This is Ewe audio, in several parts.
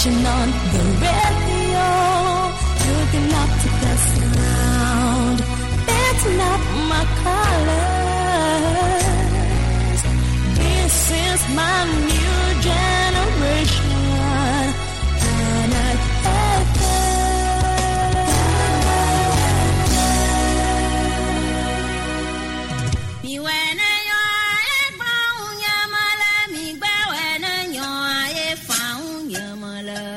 Switching on the radio, looking up to the sound. That's not my colors. This is my new generation. Planet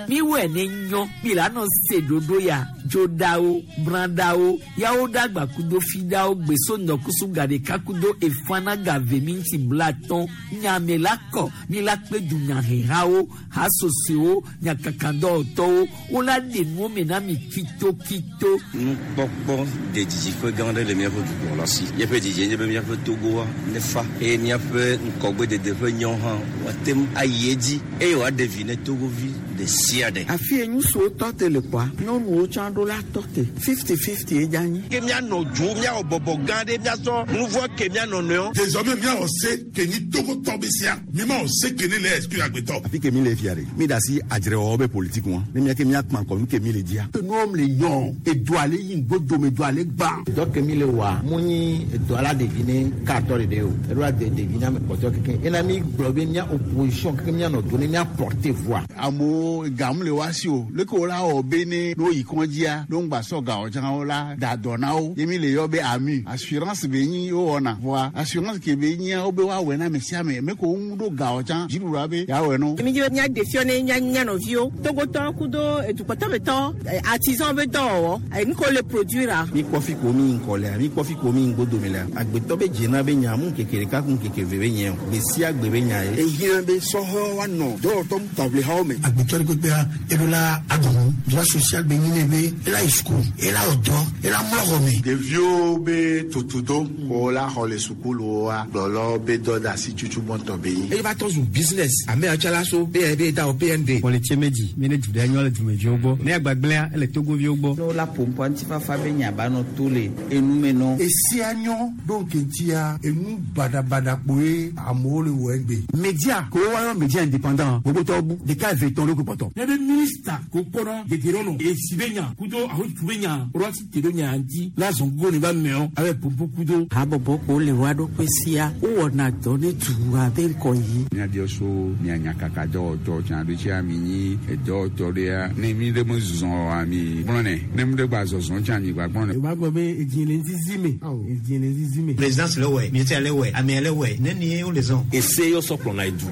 Miwɔe ne nyɔ mi la nɔ se ɖoɖo ya dzoɖawo brãɖawo yawo ɖagba kudo fiɖawo gbeso ŋdɔkusu gaɖeka kudo efana gave minti blatɔn nyame la kɔ mi la kpe dunyahehawo hasosoewo nyakakadɔwɔtɔwo wola ɖe nuwo me na mi kitokito. Nukpɔkpɔ de didiƒe gã aɖe le míaƒe dukplɔla si. Míaƒe didie nye be míaƒe Togoa nefa eye míaƒe ŋkɔgbedede ƒe nyɔ hã woate ŋu ayi edzi eye wòaɖe vi ne Togovi ɖe sia ɖe. Afi ye ŋutsuwo tɔ te le kpɔa, nyɔnuwo tsã ɖo la tɔ te. 50-50 ye dze anyi. Ke míanɔ dzo, míawɔ bɔbɔ gã ɖe, míasɔ nu vɔ̃ ke mía nɔnɔewo. Désormais míawɔ se ke nyi Togotɔ be sea, mímawɔ se ke ne le exclure agbetɔ. Afi ke mi le fia ɖe, mi ɖe asi adzrewɔwɔ be politique ŋua, ne mía ke mía kpa ŋkɔ nu ke mi le dzia. Enuwo le nyɔ, edoa le yi ŋgbodome, edoa le gbã. Dɔ ke mi le wɔa, mu nyi edoa la ɖevi ne katɔ ɖeɖe o, eɖo la de ɖevi na ame kpɔtɔe keke. Ena mi gblɔ be mía opposition keke mía nɔ do ne mía porter voix. Amewo gam le woa si o, leke wo la wɔ be ne ne woyi kɔdzia, ne woŋgba sɔ ga o tsã wo la da dɔ na wo. Ye mi le yɔ be AMU, assurance be nyi wowɔna. Vɔa assurance ke be nyia wobe woawɔe na ame sia ame, me ko woŋu ɖo ga o tsã, dziɖuɖua be yeawɔe na wo. Mi dzi be míaɖe fiɔ ne mía mía nɔviwo, Togotɔwo kudo edukpɔtɔmetɔ, artisan be dɔwɔwɔ, nu ke wole produire-a. Mi kpɔ fi ko mi yi ŋkɔ lea, mi kpɔ fi ko mi yi ŋgbodome lea, agbetɔ be dzena be nya mu ŋkeke ɖeka ku ŋkeke eve be nye o, gbe sia gbe be nya ye. Ehiã be sɔhɛwo woanɔ dɔwɔtɔ taʋlihawo me. Agbetɔ ɖe kpekpea, eɖo la agɔnu, droit social be nyi nɛ be ela yi suku, ela wɔ dɔ, ela mlɔ xɔ me. Ɖeviwo be tutudo ko la xɔ le sukuluwoa, kplɔlawo be dɔdeasi tutu gbɔntɔ be nyi. Eye va trɔ zu business. Ame ya tsã la so BND da o BND. Kpɔlitse medzi mi ne du ɖe nyɔ le dumeviwo gbɔ. Ne agbagblẽa ele Togoviwo gbɔ. Ne wola ƒoƒua ŋutifafa be nya ba nɔ to le enu me nɔ. Esia nyɔ ɖo ŋkeŋtia enu baɖabaɖa kpoe amewo le wɔ egbe. Media ko woayɔ media indépendant gbogbotɔwo bu ɖeka eve tɔn ɖo kpɔtɔ. Ne be minista ko kpɔna gege ɖe nɔ esi be nya kudo ahotu be nya ɖo asi te ɖo nya ŋuti la zɔn gogo ne ba mɛɔ abe popo kudo. Habɔbɔ ko le woa ɖokui sia wowɔna dɔ ne dua be ŋkɔ yi. Míabiɔ so mia nyakaka dɔwɔtɔ tsã ɖo tsia mi nyi edɔwɔtɔ ɖea ne mi ɖe me zɔzɔ oa mi gblɔnɛ ne mi ɖe gba zɔzɔ tsã mi gba gblɔnɛ. Wòva gblɔ be edzi le ŋzizi me, edzi le ŋzizi me. Présidence le wɔe, ministère le wɔe, amea le wɔe, nenie wole zɔn. Ese yɔ sɔ kplɔna edu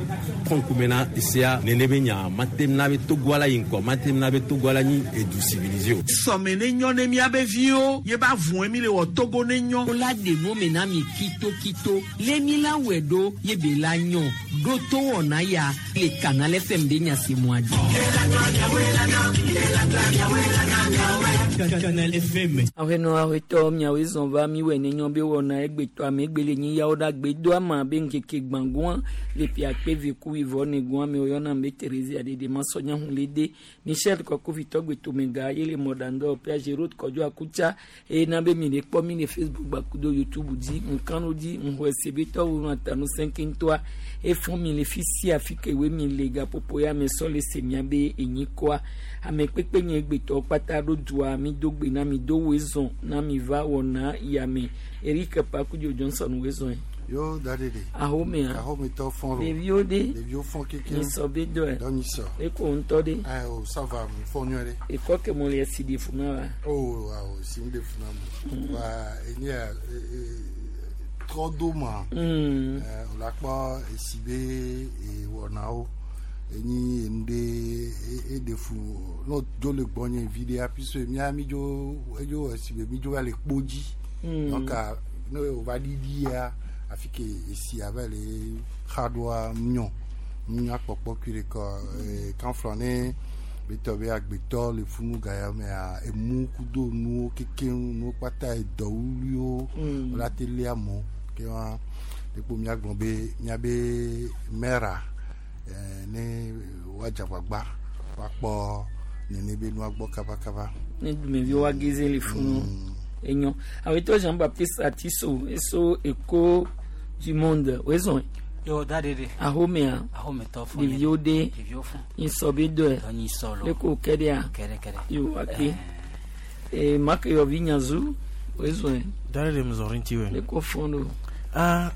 kɔ ŋkume na esea nene be nya mate na be Togoa la yi ŋkɔ mate na be Togoa la nyi edu civilisé o. Sɔme ne nyɔ ne míabe viwo ye ba vɔe mi le wɔ Togo ne nyɔ. Wola ɖe nuwo me na mi kitokito lé mi la wɔe ɖo ye be la nyɔ ɖo to wɔna ya le Canal FM be nya se mɔa dzi. Canal FM. Aƒenɔ aƒetɔ miawoe zɔn va miwɔe ne nyɔ be wɔna egbetɔ ame egbe le nyi yawo ɖa gbe do ama be ŋkeke gbãgoa le ƒe akpe ve ku wuieve ne goa me woyɔna be Thérésia ɖeɖe masɔ nya hu le de Michel Kɔkɔvitɔ gbetomega ye le mɔɖaŋdɔwɔƒea Géraud Kɔdzo Akutsa eye na be mi le kpɔ mi le Facebook gbakudo YouTube dzi ŋkanu dzi ŋxɔe se be tɔwo nu atanu sɛnkɛntɔa efɔ mi le fi sia fi ke we mi le gaƒoƒo ya me sɔ le se mia be enyi kɔa ame kpekpe nye gbetɔ kpata ɖo dua mi do gbe na mi do woe zɔn na mi va wɔna yame Eric Pakudzo Johnson woe zɔn. Yo da de de. Ahomea. Ahometɔ fɔn lo. Ɖeviwo de. Ɖeviwo fɔn keke. Nyisɔ be dɔe. Dɔ nyisɔ. Eko ŋutɔ de. Ayi o ça va mi fɔn nyuie ɖe. Ekɔ ke mo le esi ɖe funa wa. Oh awo si mi ɖe funa mo. Wa enye ya trɔ do ma. O la kpɔ esi be ewɔnawo enyi enu ɖe eɖe fu n'o dzo le gbɔnye vi ɖea puisque mía mi dzo edzo esi be mi dzo va le kpo dzi. Donc ne o va ɖiɖi ya afi ke esia va le xa ɖoa nyɔ nya kpɔkpɔ kui ɖe kɔ kanflɔ ne betɔ be agbetɔ le funu ga ya mea emu kudo nuwo kekeŋ nuwo kpata edɔwuliwo wola te lé amewo ke wa ekpo míagblɔ be míabe mɛra ne woadze agbagba woakpɔ nene be nua gbɔ kabakaba. Ne dumeviwo woageze le funu enyo awetɔ Jean Baptiste Atiso eso Echo du monde wezɔn. Yo da de de. Ahomea. Ahometɔ fún. Ɖeviwo de. Ɖeviwo fún. Nyisɔ be dɔe. Dɔ nyisɔ lo. Le ko kɛ ɖea. Kɛɖɛ kɛɖɛ. Yo ake. Ee make yɔvi nyazu wezɔe. Da de de mzɔrin ti Le ko fɔn do. Ah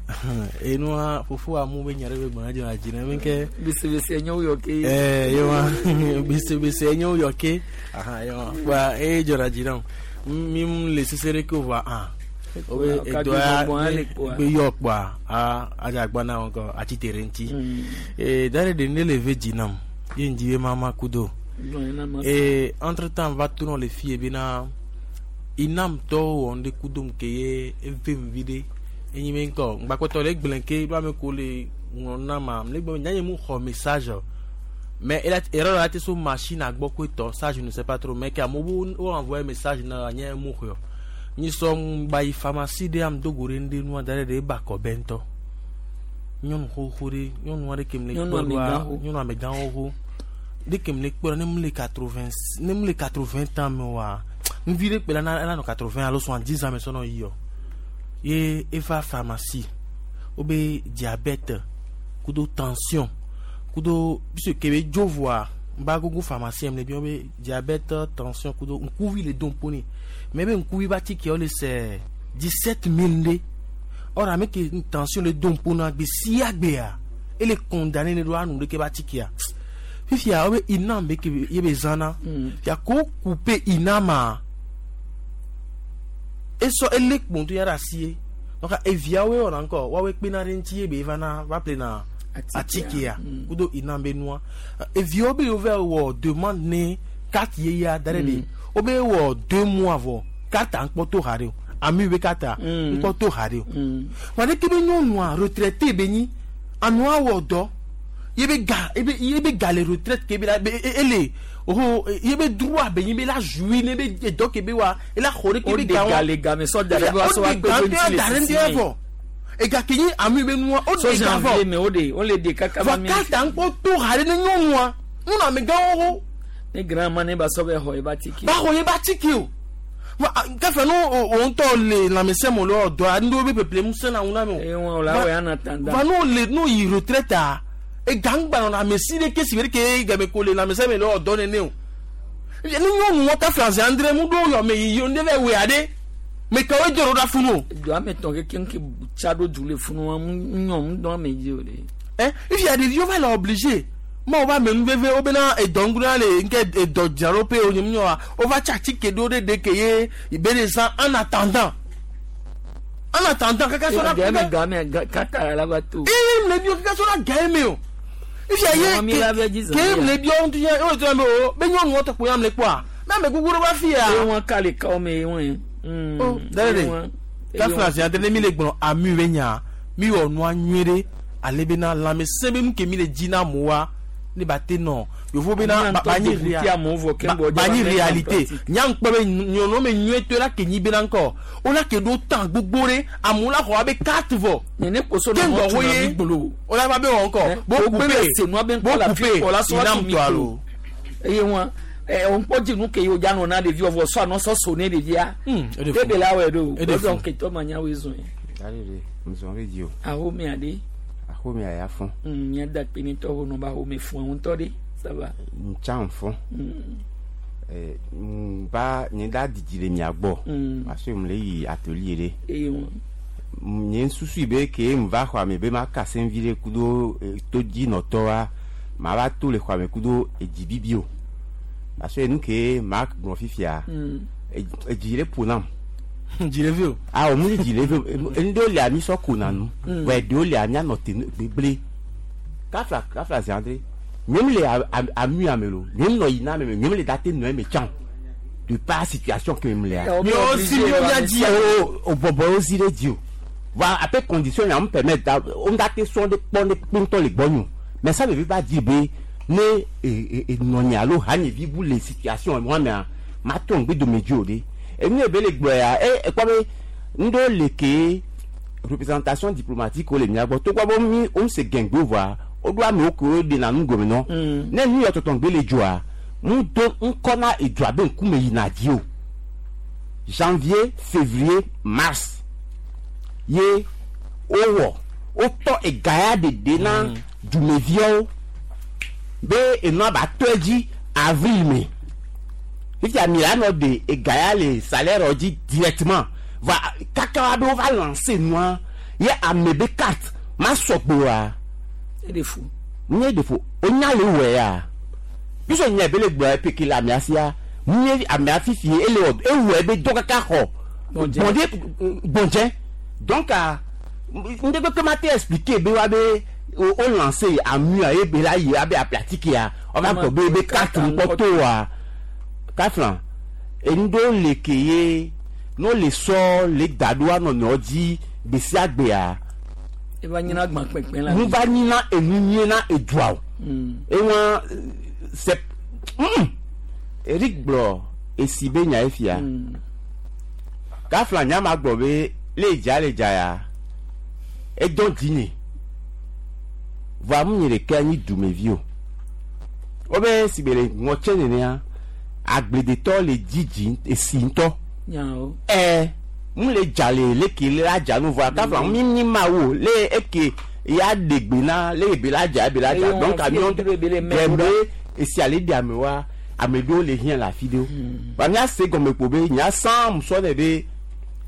enua fofo amu be nya ɖe be gbɔna dzɔna dzi na mi ke. Besebese enye wo yɔ ke. Ɛɛ yewa besebese enye wo yɔ ke. Ahan yewa wa eye dzɔna dzi na mi mu le sese ɖe ke o va ah. Obe edo ya be yɔ kpoa a adzagba na wɔn kɔ atsi te ɖe ŋuti. Ee da ɖe de ne le ve dzi nam ye ŋdi be mama kudo. Ee entre temps va to nɔ le fie bena inam tɔwo wɔ ŋɖe kudo ke ye eve vi ɖe enyi be ŋkɔ ŋgbakpɔtɔ le gblẽ ke ɖo ame ko le ŋlɔ na ma le gbɔ nyanye mu xɔ message mais erreur la te so machine agbɔ koe tɔ ça je ne sais pas trop mais ke amewo wo envoyé message na nye mu xɔ nyi sɔ ŋgba yi pharmacie ɖe am dogo ɖe ŋɖe nua da ɖe ɖe eba kɔ bɛ ŋutɔ nyɔnu xoxo ɖe nyɔnu aɖe ke mu le kpɔ ɖoa nyɔnu amegã xoxo ɖe ke mu le kpɔ ɖe ne mu le 80 ne mu le 80 ans me oa ŋvi ɖe kpe la na nɔ 80 alo 70 ans me sɔ nɔ yi yɔ ye eva pharmacie wobe diabète kudo tension kudo puisque ke be dzo voa ba gogo pharmacien le bi wobe diabète tension kudo ŋkuvi le dom poni mais be ŋkuvi ba tike le c'est 17 000 nde or ame ke tension le dom pona gbe sia gbea ele condamné ne do anu ɖe ke ba tikea fifia wobe inam be ke ye be zãna fia ko couper inama esɔ ele kponto ya ɖe asie donc eviawoe wɔna ŋkɔ woawoe kpena ɖe ŋuti ye be vana va ple na atikea kudo inam be nua eviawo be yewo va wɔ demande ne carte yeyea da ɖe ɖe wobe wɔ 2 mois vɔ carte ŋkpɔ to ha ɖe o ami be carte ŋkpɔ to ha ɖe o wa ɖeke be nyɔnua retraité be nyi anua wɔ dɔ ye be ga ye be ga le retraite ke be la ele oh ye be droit be nyi be la jouir ne be dɔ ke be wa ela xɔ ɖe ke be ga wa o de ga le game sɔ da ɖe be wa sɔ wa kpe be ŋuti le sisi me ega ke nyi ami be nua o de ga vɔ me o de o le de kaka va mi carte ŋkpɔ to ha ɖe ne nyɔnua ŋuna amegãwo wo ne grand ma ne ba sɔ bɛ xɔ ye ba tike ba xɔ ye ba tike o kafe no o ŋutɔ le lãmesẽ me le dɔ ŋɖewo be ƒeƒle ŋusẽ na ŋu na me o eye wɔn o la wɔ ya na tan da va no le no yi retraite a egangba nɔ amesi ɖe ke si be ke game ko le lãmesẽ me le dɔ nene o ne nyɔnu wɔ kafe aze andre mu ɖo yɔ me yi ne va wɔ aɖe me kawoe dzɔ ɖo ɖa funu o. Do ame tɔn keke ke tsa ɖo du le funu wa mu nyɔ mu dɔn ame dzi o de. Ɛ ifi ɖeviwo va le obligé mawo va me nu veve wo bena edɔ ŋguna le nke edɔ dzraɖoƒe o nyɔnu wa wova tsi atike ɖo ɖe ɖe ke ye be le zã en attendant kaka sɔ na game kaka la va to. Ee mle bi o kaka sɔ na game me o. Ifi aye ke mle bi o ŋuti nye o tɔ me o be nyɔnu wɔtɔ kpo ya mle kpɔa mɛ ame gbogbo ɖe va fi ya. Eye wɔn ka le kawo me wɔn ye. O dɛrɛ de kafra zi ade ne mi le gblɔ ami be nya mi wɔ nua nyuie ɖe ale bena lãmesẽ be nu ke mi le dzi na amewoa ne ba te nɔ yovo bena ba nyi réalité nya ŋkpɔ be nyɔnu me nyuie to la ke nyi bena ŋkɔ o la ke ɖo tan gbogbo ɖe amewo la xɔ abe carte vɔ ke ŋgɔ wo ye o la va be wɔ ŋkɔ bo coupe inam tɔ alo. Eye wɔn ɛ ŋkpɔ dzinu ke yi o dza nɔ na ɖevi vɔ sɔ anɔ sɔ so ne ɖevia ebe la wɔe ɖo o dɔn ketɔ ma nya woe zɔn ye. Ahome aɖe. Ahome aya fɔn. Mía da kpe ne tɔwo nɔ ba ahome fún ŋutɔ ɖe ça va. Ntsa fɔn. Ba nye da didi le mia gbɔ. Parce que mu le yi atelier ɖe. Eye wɔn. Nye susu be ke mu va xɔ ame be ma kase vi ɖe kudo todzinɔtɔa ma va to le xɔ ame kudo edzibibi o. Parce que nu ke ma gblɔ fifia edzi ɖe ƒo nam. Dzi ɖe o. Ah o mu dzi ɖe vi o ŋɖewo lia mi sɔ kona nu. Wɛ ɖewo lia mia nɔ te gbegble. Kafla kafla zi andre. Nye mu le amui ame lo. Nye mu nɔ yina ame me. Nye mu le da te nɔ eme tsã. De par situation ke mu lea. Miwo si miwo mia dzi. O bɔbɔ wo si ɖe dzi o. Wa ape condition ya mu permettre da o da te sɔn de kpɔ ne kpe le gbɔnyo. Mais ça ne veut pas dire be ne nɔnye alo hanyevi bu le situation wa mea ma to ŋgbe dome dzi o de. Enu ebe le gblɔ ya e ekpɔ be ŋɖewo le ke représentation diplomatique wo le mia gbɔ togbɔ be mi wo se gɛngbe voa woɖo amewo ke wo ɖena nu gɔme nɔ. Ne nu yɔ tɔtɔ ŋgbe le dzoa mu do ŋkɔ na edzoa be ŋkume yina dzi o. Janvier, février, mars ye wowɔ Wotɔ ega ya ɖeɖe na dumeviawo be enua ba tɔ edzi avril me. Fifia mi la nɔ ɖe ega ya le salaire dzi directement. Va kaka wa be wova lancer nua ye ame be carte ma sɔgbe oa. Eɖe fu. Nye ɖe fu. Wonya le wɔe ya. Puisque nya be le gblɔ epeke le amea sia, nye amea fifi ele wɔ ewɔe be dɔ kaka xɔ. Gbɔndze. Gbɔndze gbɔndze. Donc ŋɖe kpekpe ma te expliquer be wa be wo lancer amua ye be la yi abe aplatique ya. Wova gblɔ be be carte ŋkpɔ to wa. Kafla enu ɖewo le ke ye ne wole sɔ le da ɖo anɔ dzi gbe sia gbea. Eva nyina gbã kpekpe la. Nu va nyina enu nyuie na edua o. Ewa c'est Eric gblɔ esi be nya efia. Kafla nya ma gblɔ be le dza le dza ya. Edɔ dzinye. Vɔa mu nye ɖeka nyi dumevi o. Wobe si be le ŋɔtse nenea agbledetɔ le dzidzi esi ŋutɔ. Nyawo. Mu le dza le leke le la dza nu vɔa kafla mi nyi mawu le eke ya ɖe gbe na le ebe la dza ebe la dza. Eye Donc wɔn amiwo fi ebe le mɛ ɖe ɖo. be esi ale ɖe amewoa ame ɖewo le hiã le afi ɖewo. Ba mía se gɔme kpo be nya sã musɔ ne be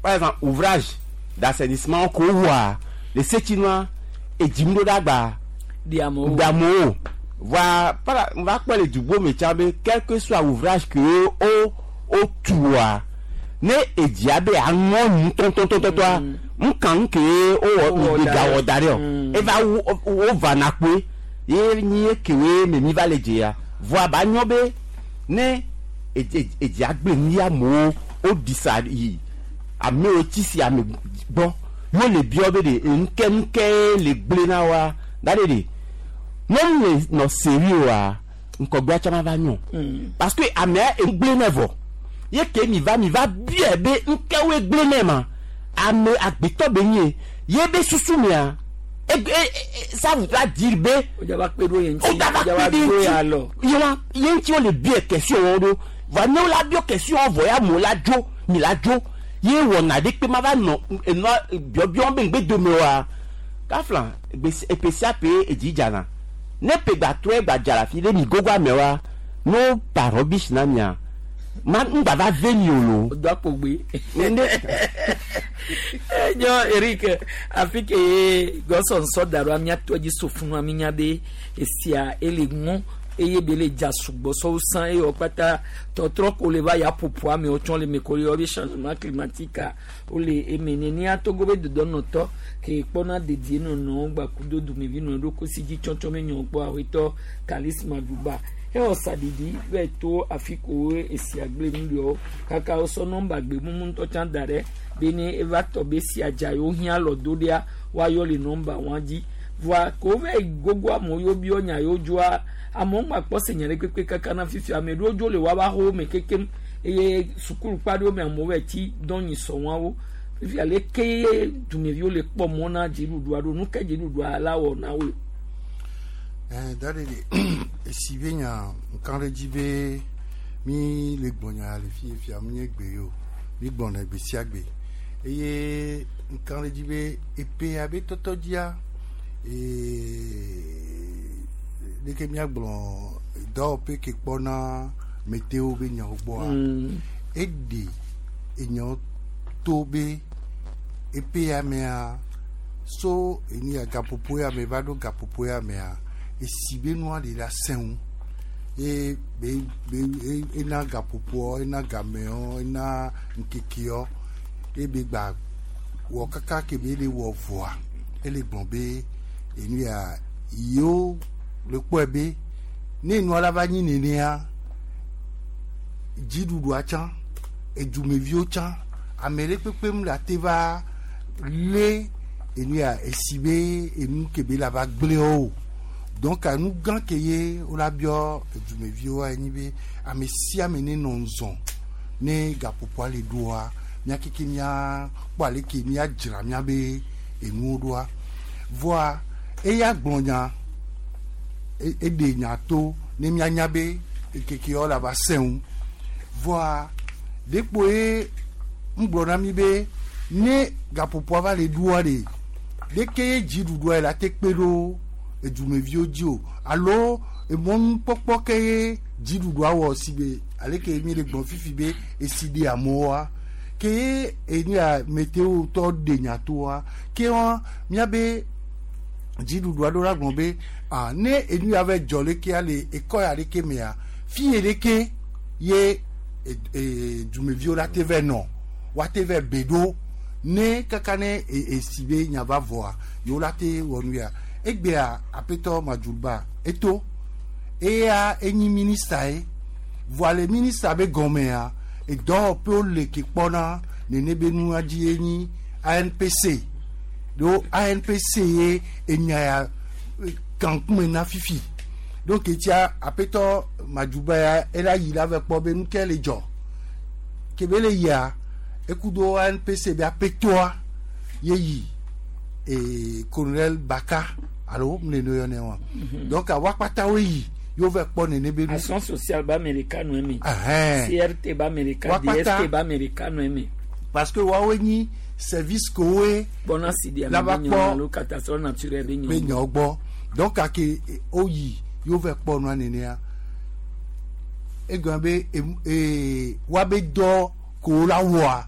par exemple ouvrage d'assainissement ko wɔa le setsi nua edzim ɖo ɖe agba. Ɖe amewo. Ɖe amewo. Voa para va kpɔ le dugbo me tsã be quel que soit ouvrage ke wo wotua ne edzia be aŋɔ nu tɔntɔntɔntɔa ŋka nu ke wowɔ Wowɔ da gawɔ ɖe. da ɖe o eva wo wova na kpoe ye nyi ekewoe me mi va le dzea voa ba nyɔ be ne edzia gble nu ya amewo woɖi sa yi amewo tsi si ame gbɔ yo le biɔ be ɖe enuke nuke le gble na woa da ɖe ɖe nyɔnu le nɔ seri oa ŋkɔgbea tsã ma va nyɔ parce que amea egble nɛ vɔ ye ke mi va mi va biɛ be ŋkewoe gble nɛ ma ame agbetɔ be nye ye be susu mea e e ça voudra dire be Wòdzava kpe ɖo ye ŋuti. o da va Wòdzava kpe ɖe do ŋuti ya lɔ. ye wa ye ŋuti wole biɛ question wɔm ɖo va ne wola biɔ question vɔ ya amewo la dzo mi la dzo ye wɔna ɖe kpe ma va nɔ enua biɔbiɔ be ŋgbe dome oa kafla egbe epe sia pe edzi dzana ne pe gba trɔe gba dza le afi ɖe mi gogo amewoa ne wo pa rubbish na mia ma ŋgba va ve mi o lo. Do akpogbe. Ne Enyo Eric afi ke ye gɔsɔ nsɔ da ɖo amia tɔ dzi so funu ami nya be esia ele ŋɔ eye be le dza sugbɔ sɔwo sã eye wɔ kpata tɔtrɔ ko le va ya ƒoƒo amewo tsɔ le me ko le yɔ be changement climatique wole eme nenia Togo be dodɔnɔtɔ ke kpɔna dedienɔnɔ gbakudo dumevi nɔ ɖo kosi dzi tsɔtsɔ me nyɔ kpɔ awetɔ Kalisma Duba ewɔ saɖiɖi vɛ to afi ko esia gble nu ɖewo kaka wosɔ nɔmba gbemumu ŋutɔ tsã da ɖe be ne eva tɔ be sia dza yewo hiã lɔ do ɖea woayɔ le nɔmba wɔn dzi voa ko vɛ gogo amewo yewo biɔ nya yewo dzoa amewo ŋgba kpɔ se nya ɖe kpekpe kaka na fifi ame ɖewo dzo le woava xɔwo me kekem eye sukulu kpa ɖewo me amewo vɛ tsi dɔnyi sɔ wɔawo fifi ale ke dumeviwo le kpɔ mɔ na dziɖuɖua ɖo nu ke dziɖuɖua la wɔ na woe. Da ɖe esi be nya ŋka ɖe dzi be mi le gbɔnya le fi fia mi nye gbe o mi gbɔna gbe sia gbe eye ŋka ɖe dzi be epe abe tɔtɔ dzia ɖeke miagblɔ dɔwɔƒe ke kpɔna météo be nyawo gbɔa eɖe enyawo to be epe ya mea so eni ya gaƒoƒo ya me va ɖo gaƒoƒo ya mea esi be nua le la sẽŋu ye be be ena gaƒoƒoɔ ena gameɔ ena ŋkekeɔ ye be gba wɔ kaka ke be le wɔ vɔa ele gblɔ be enu ya yewo le kpɔe be ne nua la va nyi nenea dziɖuɖua tsã edumeviwo tsã ame ɖe kpekpe mu le ate va lé enu ya esi be enu ke be la va gblẽ o donc nu gã ke ye wola biɔ edumeviwoa enyi be ame sia ame ne nɔ ŋzɔ ne gaƒoƒoa le ɖoa mía keke mía kpɔ ale ke míadzra míabe enuwo ɖoa voa eya gblɔ nya eɖe nya to ne míanya be ŋkekeawo la va sẽŋu voa ɖekpo ye ŋgblɔ na mi be ne gaƒoƒoa va le ɖoa ɖe Leke ye dziɖuɖua yi la te kpe ɖo edumeviwo dzi o alo emɔnukpɔkpɔ ke ye dziɖuɖua wɔ si be aleke mi le gblɔ fifi be esi ɖe amewoa ke ye enu ya meteo tɔ ɖe nyatoa ke wa miabe dziɖuɖua ɖo la gblɔ be ah ne enu ya va dzɔ lekea le ekɔ ya ɖeke mea fi ye ɖeke ye dumeviwo la te vɛ nɔ woate vɛ be ɖo ne kaka ne esi be nya va vɔa yewo la te wɔ nu ya egbea aƒetɔ Madjoulba eto eya enyi minista ye voa le minista be gɔmea edɔwɔƒewo le ke kpɔna nene be nua dzi ye nyi ANPC ɖo ANPC ye enya ya kankume na fifi donc etia aƒetɔ Madjoulba ya ela yi la vɛ kpɔ be nu ke le dzɔ kebe le yia ekudo ANPC be aƒetɔa ye yi e colonel Baka alo mle no yɔnɛ wa donc awa kpatawo yi yewo vɛ kpɔ nene be nu Action sociale ba Amerika nu eme. Ɛhɛn. CRT ba Amerika, Wakpata. DST ba Amerika nu eme. Parce que woawoe nyi service kowoe Kpɔna si di la ame va be nyɔ kpɔ alo catastrophe naturelle be be nyɔ. nyawo gbɔ donc ake woyi yewo vɛ kpɔ nua nenea egɔme be woabe dɔ ko la wɔa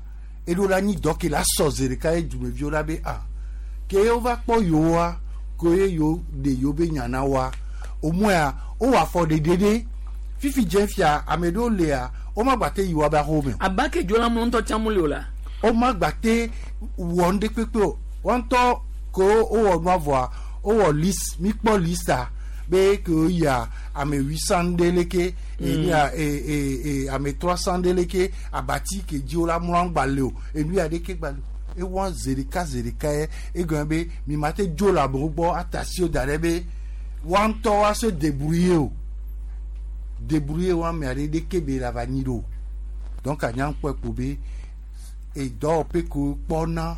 eɖo la nyi dɔ ke la sɔ zi ɖeka ye dumeviwo la be ah ke wova kpɔ yewoa ko ye yewo ɖe yewo be nya na woa au moins wowɔ afɔ ɖeɖe ɖe fifi dze fia ame ɖewo lia womagba te yi woabe aƒewo me o. Aba ke dzo la mlɔ ŋutɔ tsã muli o la. Womagba te wɔ nu ɖe kpekpe o wɔn ŋutɔ ko wowɔ nua vɔa wowɔ liste mi kpɔ lista be ke woyia ame 800 ɖe leke enu ya e e ame 300 ɖe leke abati ke dzi wo la mlɔ gba le o enu ya ɖeke gba le o ewɔ zi ɖeka zi ɖeka ye egɔme be mi ma te dzo le amewo gbɔ atasi wo da ɖe be woa ŋutɔ woa se débrouiller o débrouiller wo ame aɖe ɖeke be la va nyi ɖo donc anya kpɔe ko be edɔwɔƒe ko kpɔna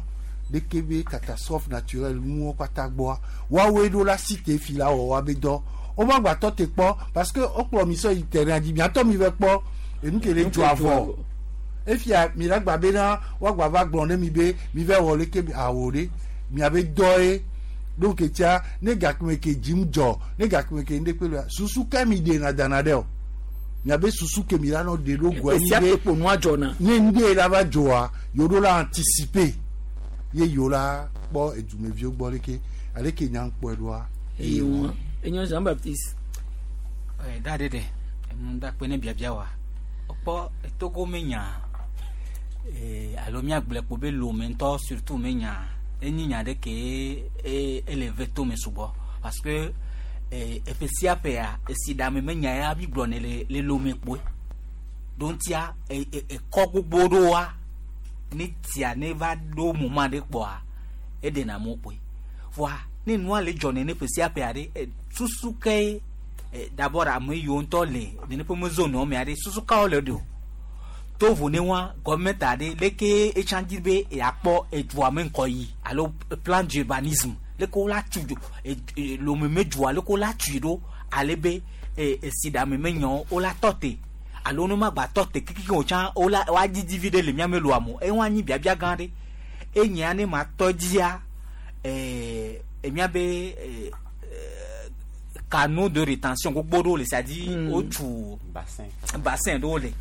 ɖeke be catastrophe naturelle nuwo kpata gbɔa woawoe ɖo la si te fi la wɔ woabe dɔ woma gba tɔ te kpɔ parce que wokplɔ mi sɔ yi terrain dzi miatɔ mi vɛ kpɔ enu ke le dzɔ avɔ efia mi la gba bena woagba va gblɔ ne mi be mi vɛ wɔ leke awo ɖe miabe dɔ ye donc etia ne gakeme ke dzim dzɔ ne gakeme ke ŋɖe kpe lea susu ke mi ɖena dana ɖe o miabe susu ke mi la nɔ ɖe ɖo goa Esia ke kpo nua dzɔna. Ne ŋɖe la va dzɔa yewo ɖo la anticiper ye yewo la kpɔ edumeviwo gbɔ leke aleke nya kpɔe ɖoa. Eye wọn enyo Jean Baptiste. Ɛ da ɖe ɖe enu da kpe ne biabia wa kpɔ Togo me nya alo miagblẽ kpo be Lome ŋutɔ surtout me nya enyi nya ɖe ke ele ve to me sugbɔ parce que eƒe sia ƒea esi ɖame me nya ya mi gblɔ ne le Lome kpoe ɖo ŋutia ekɔ gbogbo ɖoa ne tia ne va ɖo moment ɖe kpɔa eɖena amewo kpoe voa ne nua le dzɔ nene ƒe sia ƒea ɖe susu ke d'abord ame yiwo ŋutɔ le nene ƒe me zone me aɖe susu kawo le ɖo to vo ne wa gɔmɛnt aɖe leke etsã dzi be yeakpɔ edua me ŋkɔ yi alo plan d'urbanisme leke wola tu dzo Lome me dua leke wola tui ɖo ale be esi ɖame me nyɔ wola tɔ te alo ne ma gba tɔ te kikiki o tsã wola woadzidzi vi ɖe le miame loa mo eye woanyi biabia gã ɖe enyia ne ma tɔ dzia emiabe canaux de rétention gbogbo ɖewo le c'est-à-dire wotu bassin ɖewo le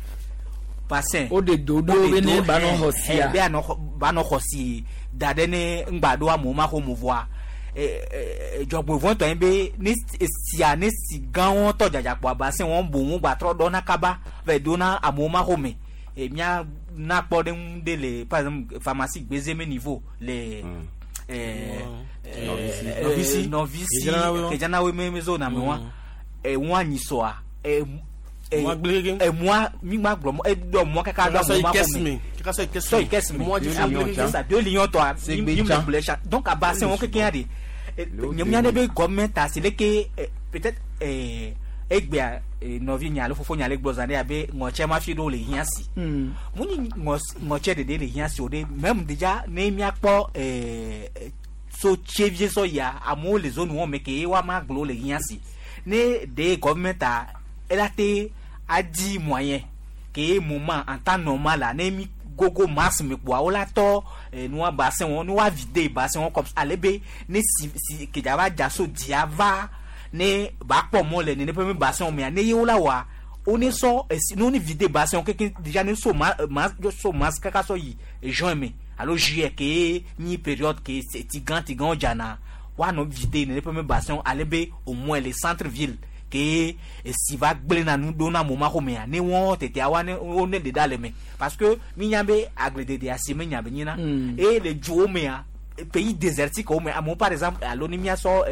bassin O de do ɖo be ne ba nɔ xɔ sia. Be anɔ xɔ ba nɔ xɔ si da ɖe ne ŋgba ɖo amewo ma xɔ mo voa dzɔgbevɔ̃tɔ ye be ne esia ne si gãwo tɔ dzadza kpoa bassin wɔn boŋ gba trɔ ɖɔna kaba va yi dona amewo ma xɔ me mía na kpɔ ɖe ŋu ɖe le par exemple pharmacie Gbezeme niveau le Nɔvisi. Nɔvisi Kedzanawoe. Kedzanawoe me zone ame wa ŋua nyisɔa Mɔa gblẽ keŋ. Emua mi ma gblɔ mɔ eɖɔ mɔa kaka ɖo Kaka sɔ yi amewo ma xɔ kɛsi me me. Kaka sɔ yi kɛsi sɔ yi kɛsi me Mɔa dzi fi gblẽ keŋ. Ça 2 lions tɔa mi mi me gblɔ tsa donc abassin wɔn kekeŋ de nye mía ɖe be gɔmɛnt asi leke peut-être egbea nɔvi nya alo fofo nya le gblɔ zã ɖe abe ŋɔtsɛ ma fi ɖewo le hiã si mu nyi ŋɔtsɛ ɖeɖe le hiã si o ɖe même déjà ne míakpɔ so tsevie sɔ yia amewo le zone wɔn me ke woama gblɔ le hiã si ne ɖe gɔmɛnt a ela te adi moyen ke moment en temps normal la ne mi gogo mars me kpoa wola tɔ nua bassin wɔn ne wa vide bassin wɔn comme ale be ne si si kedza va dza so dzia va ne ba kpɔ mɔ le nene ƒe me bassin mea ne ye wola wɔa wo ne sɔ esi ne wo ne vide bassin wɔn keke déjà ne so ma ma so mars kaka sɔ yi juin me alo juillet ke nyi période ke tigã tigãwo dzana woanɔ vide nene ƒe me bassin ale be au moins le centre ville ke esi va gblẽna nu ɖo na amewo ma xɔmea ne wɔn tetea wa ne wo ne ɖe ɖa le me parce que mi nya be agbledede asi me nya be nyina eye le dzowo mea pays désertique wo me amewo par exemple alo ne miasɔ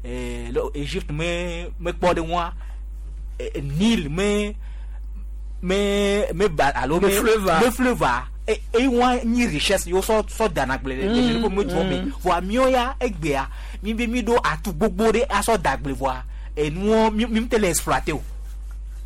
le Egypte me me kpɔ ɖe ŋua Nil me me me ba alo me fleuve me fleuve e e wa nyi richesse yo sɔ sɔ dana gble le le me duwo me voa miɔ ya egbea mi be mi ɖo atu gbogbo ɖe asɔ da gble voa enuwo mi mi te le exploiter o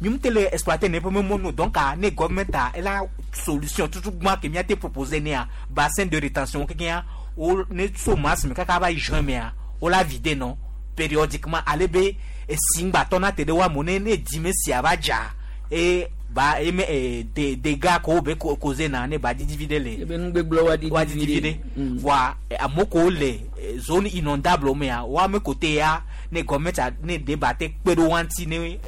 mi te le exploiter ne ƒe me mɔnu donc a ne gouvernement a ela solution tutu gbã ke mia te proposer nea bassin de rétention kekea wo ne so mars me kaka va yi juin mea wo la vide non périodiquement ale be esi ŋgbatɔ na te ɖe wa mo ne ne dime sia va dza e ba eme e de dégâts ko be causé na ne ba didi vi ɖe le ebe nugbegblẽ wa didi wa didi vi ɖe voa amewo ko le zone inondable mea wa ame kote ya ne gɔmɛnt ne de ba te kpe ɖo wa ŋuti ne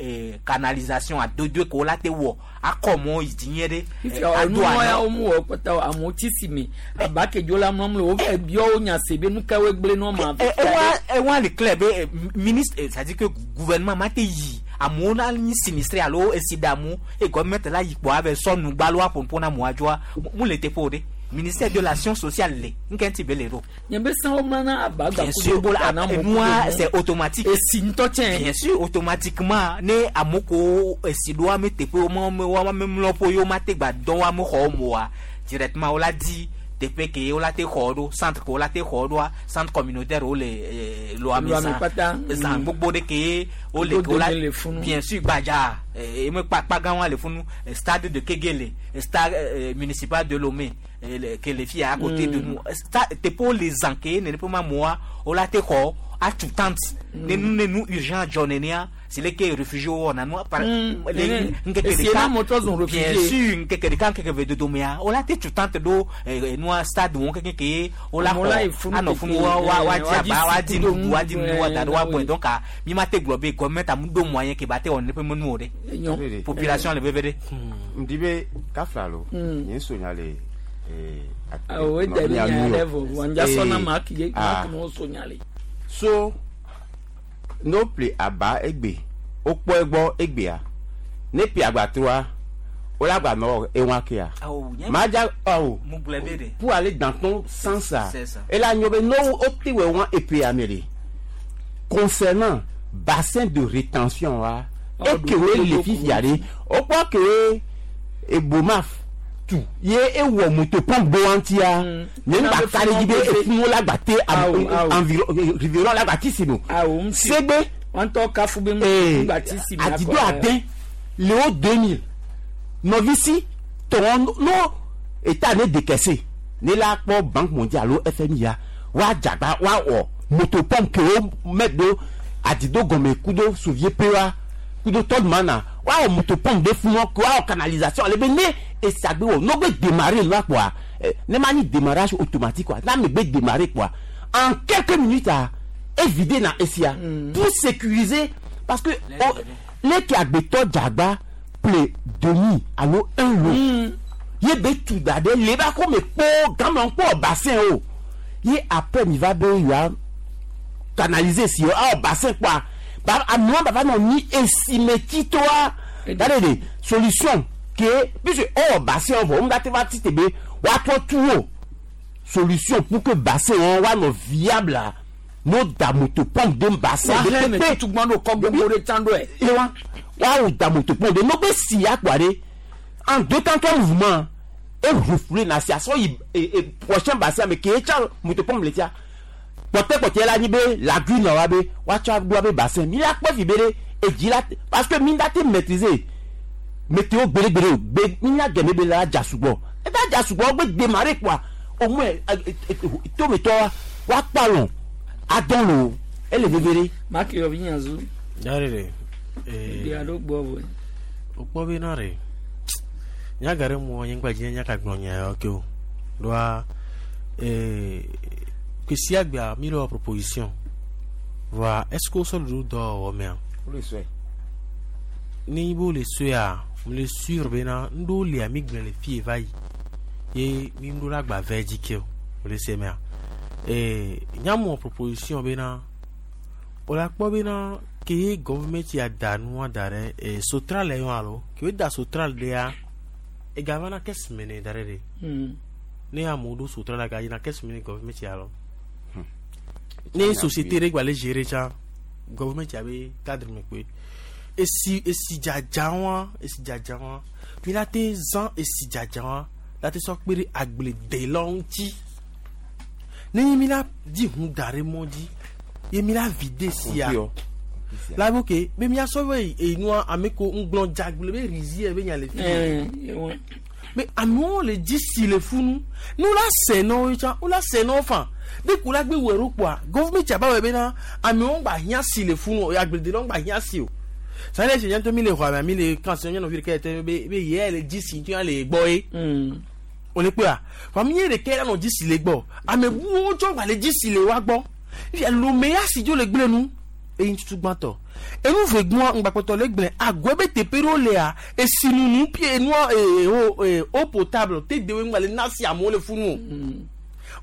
canalisation adodoe ko la te wɔ akɔ mɔ yi dzi nyuie ɖe. Fifia nu ya wo mu wɔ kpata o amewo tsi si me aba ke dzo la mlɔm le wo va biɔ wo nya se be nu ka woe gblẽ nua ma. Ewa ewa le clair be ministre c'est à dire que gouvernement ma te yi amewo na nyi sinistré alo esi damu e gɔmɛnt la yi kpɔ ave sɔ nugbalo aƒoƒo na amewoa dzoa mu le teƒe o ɖe ministère de l'action sociale le nke ŋuti be le ɖo. Nye be san wo mlana aba Bien sûr, nua c'est automatique. Esi ŋutɔ tsɛ. Bien sûr, automatiquement ne amewo ko esi ɖo ame teƒe wo me wo ame mlɔƒo ye wo ma te gba dɔn wo ame xɔwo me oa directement wo la di teƒe ke wo la te xɔ ɖo centre ke wo la te xɔ ɖoa centre communautaire wo le Loame Loame kpata. Zã gbogbo ɖe ke wo le ke wo la bien sûr gbadza eme kpakpa gã wa le funu stade de Kegele stade municipal de Lomé ke le fia à côté de nous teƒewo le zã ke nene ƒe ma amewoa wo la te xɔ atu tente ne nu ne nu urgent dzɔ nenea c'est le ke réfugié wo wɔna nua par le ŋkeke ɖeka bien sûr ŋkeke ɖeka ŋkeke ve dodomea wo la te tu tente ɖo nua stade wɔn keke ke wo la xɔ anɔ funu wa wa wa di aba wa di nuɖuɖu wa di nuɖuɖu wa da ɖo wa gbɔe donc mi ma te gblɔ be gɔmɛnt amu ɖo moyen ke ba te wɔ neƒe menu o ɖe population le veve ɖe. Ŋdi be kafla lo nye sonya le. Awo eɖe bi nya ɖe vɔ wònja sɔna maki ye maki no sonya le. So no ple aba egbe wokpɔ egbɔ egbea ne pi agbatroa wole agbanɔ ewa kea madza awo pour aller dans ton sens ça ela nyɔ be no wote wɔ wa epea me le concernant bassin de rétention wa ekewoe le fifia ɖe wokpɔ kewoe ebomaf tu ye ewɔ moto pompe do ŋutia nye ŋgba ka ɖe dzi be efuwo la gba te environ rivière la gba ti si no segbe wọn tɔ kafu be ŋgba ti si mi adido ade le wo 2000 nɔvisi tɔn no eta ne dekɛse ne la kpɔ banque mondiale alo FMI ya wa dzagba wa wɔ moto pompe ke wo mɛ do adido gɔmɛ kudo sovie pe wa kudo tɔdumana wa wɔ moto pompe de fún wọn wa wɔ canalisation ale be ne esagbe wɔ n'o bɛ démarrer la quoi ne ma ni démarrage automatique quoi n'a mi bɛ démarrer quoi en quelques minutes a éviter na esia pour sécuriser parce que leke agbetɔ dzagba ple demi alo un lot ye be tu da ɖe le ba ko me kpɔ gamɔ kpɔ bassin o ye après mi va be yoa canaliser si awɔ bassin kpɔa ba amewo ba va nɔ ni esimetsitoa da de solution ke puisque ɔwɔ bassin vɔ ŋu te va ti te be woatrɔ tu o solution pour que bassin wɔn woanɔ viable no da moto pompe de bassin de pepe tugbɔn do kɔ gbogbo de tan do yɛ. ewa wa da moto pompe de n'o bɛ si akpa de en deux temps trois mouvement e refoulé na si asɔ yi e prochain bassin mais k'e tsa moto pompe le tia kpɔtɛkpɔtɛ la nyi be lagune wa be woatsɔ do abe bassin mi la kpɔ fi be de edzi la parce que mi da te maîtriser météo gbeɖegbeɖe o gbe mi nya gɛmɛ be la dza sugbɔ e ta dza sugbɔ gbe démarrer quoi au moins tometɔ wa kpɔ alɔ adɔn lo ele veve ɖe. Maki yɔ vi nyazu. Yari de. Ebi alo gbɔ bɔ. O kpɔ be na re. Nya ga ɖe mɔ nye ŋgba dzi nya ka gblɔ nya yawo ke o. Ɖoa ƒe sia gbea mi le wɔ proposition. Voa est-ce que wosɔ ɖoɖo dɔ wɔwɔ mea? Wole sɔe. Ne nyi be wole sɔea, mele sûr bena ŋɖewo lia mi gblẽ le fie va yi ye mi ŋɖo la gba vɛ dzi ke o. Wole se mea. Nyamɔ proposition bena wola kpɔ bena ke ye gɔvumɛnti ya da nua da ɖe sotral le yɔ alo ke wo da sotral ɖea ega va na kɛsi me ne da ɖe ɖe. Ne amewo ɖo sotral la ga yina kɛsi me ne gɔvumɛnti alo. Ne société ɖe gba le gérer tsã gɔvumɛnti abe cadre me koe. Esi esi dzadza wa esi dzadza wa mi la te zã esi dzadza wa la te sɔ kpe ɖe agbledelawo ŋuti. Ne mi la di ʋu da ɖe mɔ dzi ye mi la vide sia la be ke be miasɔ be enua ame ko ŋgblɔ dzagble be rizie be nya le fi. Mais amewo le dzi si le funu ne wola se na wo tsã wola se na wo fa de ko la gbe wɔ ɖo kpoa gɔvumɛnti aba wɔ bena amewo gba hiã si le funu agbledelawo gba hiã si o. Sani ɛsɛ nyantɔ mi le xɔ ame mi le kan se nyɔnuvi ɖeka yɛ be be yɛ le dzi si ŋutɔ le gbɔ ye. O le kpɔa fa mi ye ɖeka yɛ nɔ dzi si le gbɔ ame buwo tsɔ gba le dzi si le wa gbɔ fifia lome ya si dzo le gble nu eyi tutu gbãtɔ enu ve gbɔa ŋgbakpɔtɔ le gblẽ agɔe be teƒe ɖewo lea esinunu pie enua ee o ee eau potable te dewoe ŋgba le na si amewo le funu o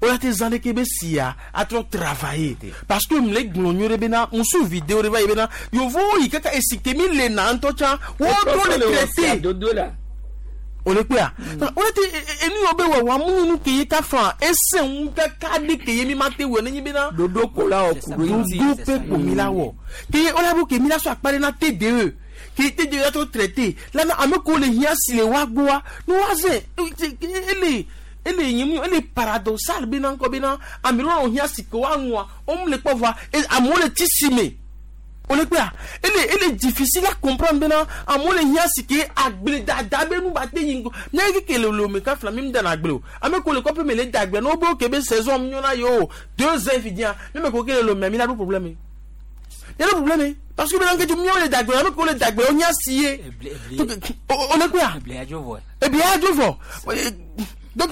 wola te zã ɖeke be sia atrɔ travailler parce que mle gblɔ nyuie ɖe bena musu vidéo ɖe va yi bena yevowo yi kaka esi ke mi le na ŋutɔ tsã wotrɔ le traité o le kpea wole te enu yiwo be wɔwɔ amu nu ke ye ka fa ese ŋu kaka ɖe ke ye mi ma te wɔ nenye bena ɖoɖo ko la wɔ ku ɖo ŋuti ɖoɖo pe ko mi la wɔ ke ye wola bo ke mi la sɔ akpa ɖe na TDE ke TDE la trɔ traité la na ame kewo le hiã si le wa gbɔa ne wa zẽ ele ele nye mu ele paradoxal bena ŋkɔ bena ame ɖewo nɔ hiã si ke wa nua wo le kpɔ vɔa amewo le tsi si me o le kpea ele ele difficile à comprendre bena amewo le hiã si ke agbledada be nu ba te yi ŋgɔ míawo keke le lome ka fila mi mu dana agble o ame kewo le kɔƒe me le da agble ne wo be ke be saison nyɔna ye o 2 ans fi dia ne me ko ke le lome mi la ɖo problème mi la ɖo problème parce que bena ŋketse míawo le da agble ame kewo le da agble wo hiã si ye o le kpea eblia adzo vɔ donc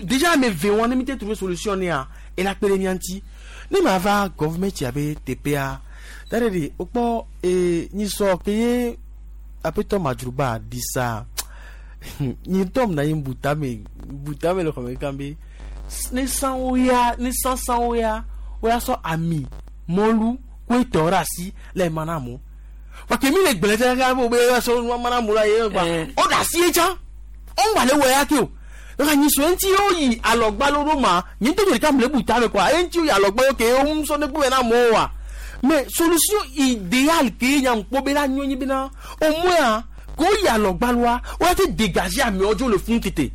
déjà ame ve wɔn ne mi te trouver solution ne ya ela kpe ɖe mía ŋuti ne ma va gɔvumɛnti abe teƒea tare de wokpɔ nyisɔ ke ye aƒetɔ madzroba ɖi sa nyi ŋutɔ mna yi butame butame le xɔme kan be ne sanwo ya ne sansanwo ya woya sɔ ami mɔlu ko etɔ ɖe asi le ema na amewo parce que mi le gblẽ tse kaka be wobe sɔ nua mana amewo la ye gba wo ɖe asi ye tsã wo ŋgba le wɔ ya ke o donc anyisɔ ŋuti wo yi alɔgbalo ɖo ma nye ŋutɔ ɖeka mle butame kɔa ye ŋuti wo yi alɔgbalo ke wo ŋusɔ ne kpe na amewo wa mais solution idéale ke nya ŋkpɔ be la nyɔ nyi bena au moins ko yi alɔgbaloa wo ya te dégager amewo dzo le funu tete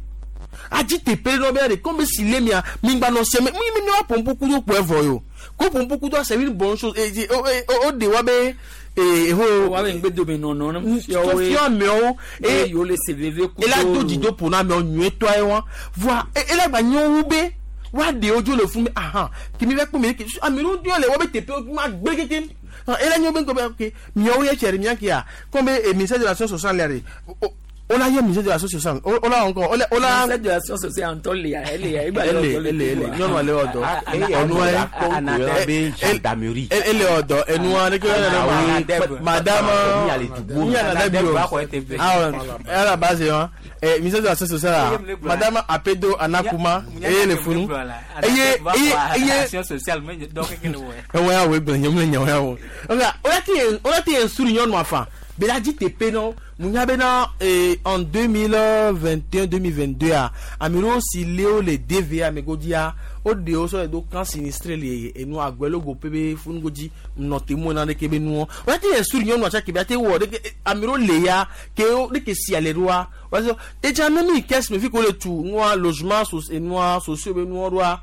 adzi teƒe ɖe be ɖe comme si le mia mi gba nɔ sɛmɛ mi mi mi wa pɔnpu kudo kpɔe vɔ yi o ko pɔnpu kudo c'est une bonne chose e o o o de wa be ee ho wa be ŋgbe dome nɔnɔ ne fiɔ amewo e yewo le se veve kudo ela do dzido ƒo na amewo nyuietɔa ye wa voa ela gba nyɔ wu be wa ɖe wo dzo le funu ahan kemi va kpɔ mi ke ame ɖewo ŋutɔ le wo be teƒe ma gbe kekem ela nyɔ be ŋkɔ be ok miawo ye tse ɖe mia kia comme ministère de l'action sociale la de o la ye ministère de l'action sociale o la encore o la o la. Ministère de l'action sociale ŋutɔ lia ele ya egba ele ele ele nyɔnua le wɔ dɔ enua ye gendarmerie ele wɔ dɔ enua ne ke yɛrɛ ma madame miana bi o awɔ ala base wa ministère de l'action sociale la madame Apedo Anakuma eye le funu eye eye eye ewɔ ya wo egblẽ nye mu le nya wo ya wo o la ti yen suru nyɔnua fa bela dzi teƒe nɔ munya bena en 2021 2022 a ame ɖewo si lé wo le TVA me godzia woɖe wo sɔ le do camp sinistré le enu agbɛlogo ƒe be funugodzi nɔ te mu na ɖeke be nuwɔ wọ́n ti yɛ suru nyɔnua tsaki be ate wɔ ɖeke ame ɖewo le ya ke wo ɖeke si ale ɖoa wọ́n sɔ edza ne mi kɛse me fi ko le tu nua logement enua sociaux be nuwɔ ɖoa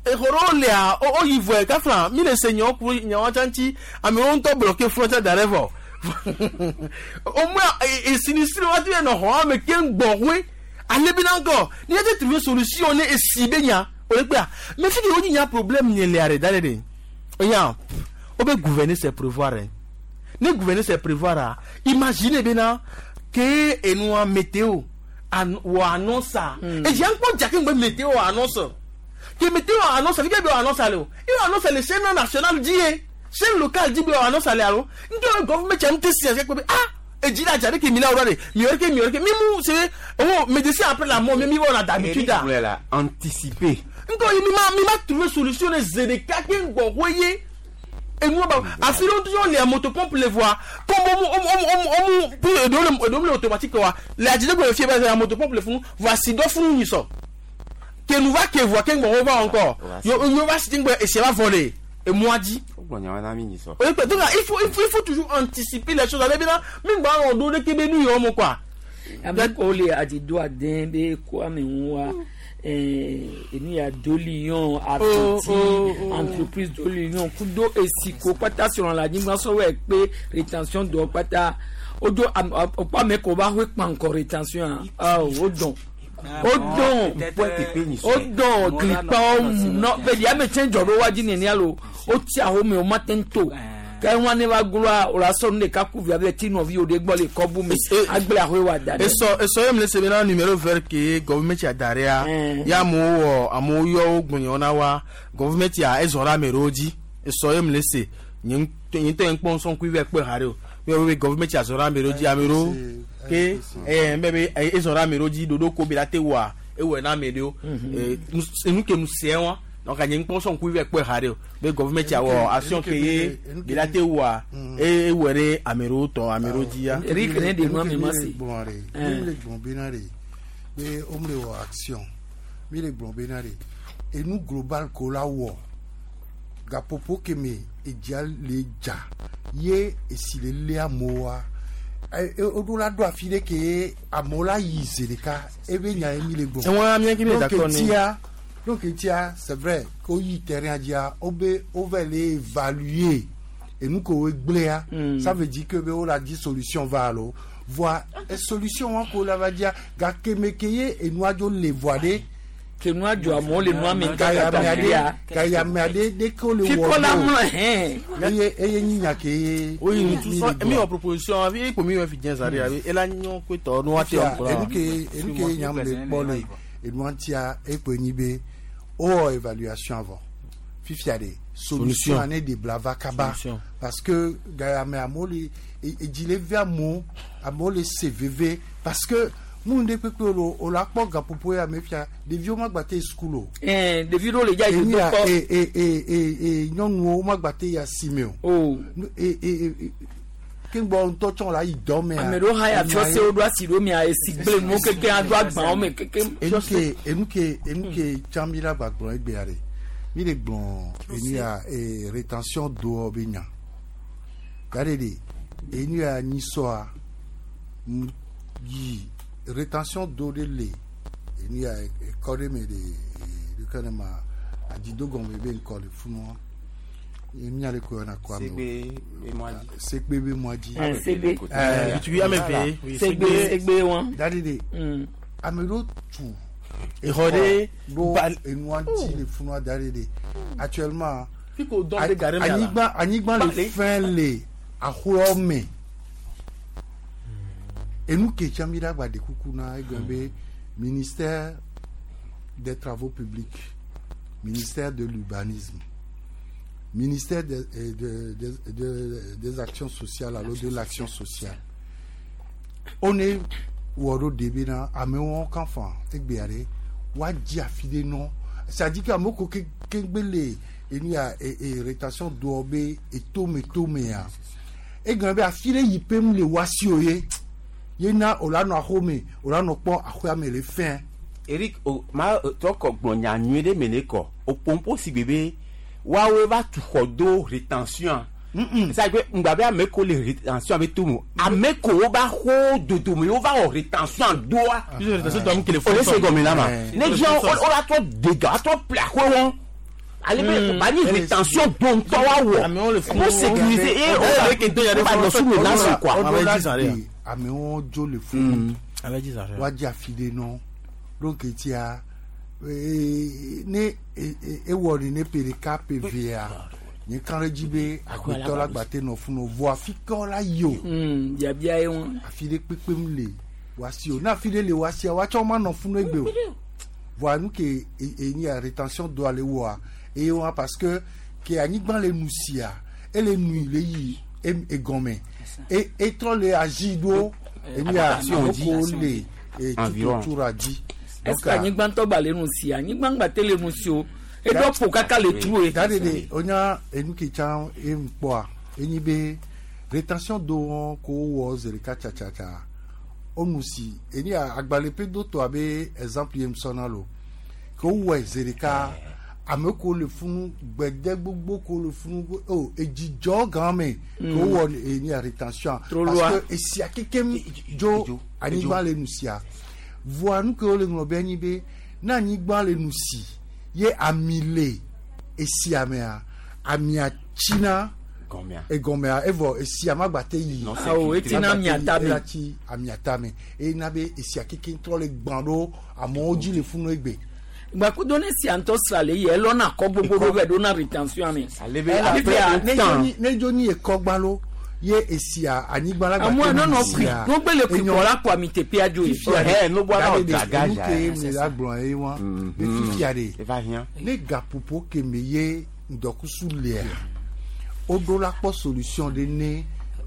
exɔ ɖewo lea wo yi vɔe kafla mi le se nyawo ku nyawo tsa ŋuti ame ɖewo ŋutɔ bloqué frontière da ɖe vɔ au moins e sinistré wa ti nɔ xɔ ame ke ŋgbɔ hoe ale bi na ŋkɔ ni yɛ te trouver solution ne esi be nya o le kpea mais fi ke wo nyi nya problème nye le are da ɖe de oya o be gouverner c'est prévoir hein ne gouverner c'est prévoir a imagine bena ke enua météo wɔ annonce a edzia ŋkpɔ dza ke ŋgbe mete wɔ annonce ke mete wɔ annonce fi ke be wɔ annonce le o e wɔ annonce le chaîne nationale dzi ye chaîne locale dzi be wɔ annonce le alo ŋutɔ ye gɔvime tsa ŋute si ase kpe be ah edzi la dza ɖe ke mi la wɔ ɖe mi wɔ ɖe ke mi wɔ ɖe ke mi mu se oh médecin après la mort mi mi wɔna d'habitude a Eric la anticiper. Ŋutɔ ye mi ma mi ma trouver solution ne ze ɖeka ke ŋgbɔ hoe ye enua ba afi ɖewo ŋutɔ le motopompe le voa comme omu omu omu omu omu puis eɖewo le eɖewo le automatique wa le adzidegbe le fie be la motopompe le funu voa si dɔ funu nyi sɔ ke nu va ke voa ke ŋgbɔ wo va encore yo yo va si ŋgbɛ esi va vɔ le emɔa dzi. Wogblɔ nya wa na mi nyi sɔ. Oye, donc il faut toujours anticiper les choses. Ale bena mi gba wɔ ɖo ɖeke be nu yɔ mo quoi. Ame ko le adi do aden be ko ame ŋu wa enu ya do lion afiti entreprise do lion kudo esiko kpata srɔ̃ le anyigba sɔwɔ ekpe rétention dɔ kpata wodo okpɔ ame ko va hoe kpankɔ rétention a o dɔn o dɔn o dɔn glikpawo nɔ bɛ di ame tsɛn dzɔ ɖo wa dzi nenia lo o ti ahome o ma te ŋu to ke wọn ne va gloa o la sɔ nu ɖeka ku via bɛ ti nɔvi o de gbɔ le kɔbu me agble ahoe wa da ɖe. Esɔ esɔ ye mi le se bena numéro vert ke gɔvumɛti a da ɖea ya amewo wɔ amewo yɔ wo gbɔnyɔ na wa gɔvumɛti a ezɔ ɖe ame ɖewo dzi esɔ ye mi le se nye ŋutɔ nye ŋutɔ nye kpɔ ŋusɔ ŋkuvi kpɔe ha ɖe o mi wɔ be gɔvumɛti a zɔ ɖe ame ɖewo dzi ame ɖewo ke ɛɛ bɛ be ezɔ ɖe ame ɖewo dzi ɖoɖo ko bi la te wɔa ewɔe na ame ɖewo enu ke nu se wa donc nye ŋkpɔ ŋusɔ ŋkuvi kpɔe ha ɖe o be gɔvumɛti a wɔ action ke ye bi la te wɔa ewɔe ɖe ame ɖewo tɔ ame ɖewo dzi ya. Eric ne de nua mi ma se. Gblɔ ɖe mi le gblɔ bena ɖe be wo le wɔ action mi le gblɔ bena ɖe enu global ko la wɔ gaƒoƒo ke me edzia le dza ye esi le lé amewoa woɖo la ɖo afi ɖe ke amewo la yi zi ɖeka ebe nya ye mi le gblɔ. Ewɔn amia ki mi le d'accord Donc ni. tia donc tia c'est vrai ko yi terrain dzia wo be wo va le évaluer enu ko wo gblẽa ça veut dire que be wo la di solution va alo voa solution wa ko la va dia gake me ke ye enua dzo le voa ɖe. Ke nua dzɔ amewo le nua me Gaya kaka ame aɖe ya. gaya ame aɖe ɖe ke wo le wɔ Fikɔ la ɖo. mlɔ hɛn. Eye eye nyi nya ke ye. oyi nutu mi sɔ le mi gblɔ. wɔ proposition afi ekpo mi wɔ fi diɛ zari abi ela nyɔ ko tɔ nu wa te Fia, wɔ enu ke enu ke nyam le kpɔ le enua ŋutia ekpe nyi be wowɔ évaluation avɔ fifia de solution Solution. ane de bla va kaba Solution. parce que gaya me amewo le edzi le vi amewo amewo le se veve parce que mu ɖe kpekpe o o la kpɔ gaƒoƒo ya me fia ɖeviwo ma gba te yi sukulu o. Ɛn ɖevi ɖewo le dza yi Enu ya do kpɔ. e e e e e nyɔnuwo ma gba te yi asime o. O. E e e keŋgbɔ ŋutɔ tsɔ la yi dɔ mea. Ame ɖewo hã ya enya fiɔ ye- se wo ɖo asi ɖo mia esi gble nuwo keke aɖo agbawo me keke. Enuke enuke enuke tsã mi la gba gblɔ egbea ɖe mi le gblɔ enu ya e rétention doɔ be nya gade de enu ya nyisɔa m yi rétention do ɖe le enu ya ekɔ ɖe me de ɖeke ne ma adzidogɔme be ŋkɔ le funua ye mia le ko yɔna kɔ ame Segbe be mɔa dzi. segbe be mɔa dzi. Ɛn, segbe. Bitugui ame ve, oui, Segbe segbe wɔn. Dadi de ame ɖewo tu Exɔ ɖe ɖo enua dzi le funua da ɖe de actuellement Fi ko dɔn be gare me ala. anyigba anyigba le Bale. fɛn le axɔa me enu ke tsã mi ɖe agba de kuku na egblɔ be ministère des travaux publics ministère de l'urbanisme ministère des actions sociales alo de l'action sociale one wɔ ɖo de bena amewo kan fa egbea ɖe woadzi afi ɖe nɔ c'est-à-dire que amewo ko ke keŋgbe le enu ya e e rétention doɔ be etome tomea egblɔ be afi ɖe yi pem le wasi o ye ye na o la nɔ axome o la nɔ kpɔ axɔa me le fɛn. Eric o ma tɔ kɔ gblɔ nya nyuie ɖe me ne kɔ o pompo si gbe be woawoe va tu xɔ do rétention c'est à dire que ŋgba be ame ko le rétention be to mo ame ko wo ba xɔ dodome wo va wɔ rétention doa Puisque rétention doa mu ke le o le se gɔme na ma Ouais. ne diɛ o la trɔ dégâts a trɔ ple axɔe wɔn ale be ba ni rétention do ŋutɔ wa wɔ pour sécuriser et o la o ba nɔ sous menace quoi. O la de amewo dzo le funu woadzi afi ɖe nɔ donc etia ne ewɔ ni ne ƒe ɖeka ƒe evea nye kan ɖe dzi be agbetɔ la gba te nɔ funu vɔ afi ke la yi o. Biabia ye wɔn. Afi ɖe kpekpem le Wasi o na fi ɖe le wasia watsɔ ma nɔ funu egbe o. Voa nu ke enyi ya rétention doa le wɔa eye wa parce que ke anyigba le nu sia ele nui le yi egɔme e etrɔ le azi ɖo enyi ya Adaptation dzi. aloko le Environ. tututura dzi. Est-ce que anyigba ŋutɔ gba le nu si anyigba ŋgba te le nu si o eɖɔ ƒo kaka le tru ye. Da de de onya enu ke tsã emu kpɔa enyi be rétention do wɔn ko wɔ zi ɖeka tsatsatsa onu si enyi agbalẽ ƒe do tɔ abe exemple ye musɔna lo ke wowɔe zi ɖeka ame ko le funu gbede gbogbo ko le funu o edzidzɔ gã me ke wowɔ enyi rétention Trop parce loin. que esia kekem dzo anyigba le nu sia voa nu ke wole ŋlɔ be enyi be ne anyigba le nu si ye ami le esia mea amia tsina Gɔmea. egɔmea evɔ esia ma gba te yi Non, Awo, etina amia tame. ela tsi amia tame eye na be esia keke trɔ le gbã ɖo amewo dzi le funu egbe gbakudo ne sia ŋutɔ sra le yi elɔna kɔ gbogbo ɖo vɛ ɖona rétention me. Ale be Ela- après Fifia, ne un temps. dzo nyi- ne dzo nyi ekɔgba lo ye esia anyigba la gba amu te nɔnɔ nu kui sia n'ogbe le kui enyo- kɔ la kɔ ami teƒea dzo ye. fifia Eh, no boa na de dragage, nu ke eh. mi la gblɔ ye wa be fifia de Eva hiã. ne gaƒoƒo keme ye ŋdɔkusu lea woɖo la kpɔ solution ɖe ne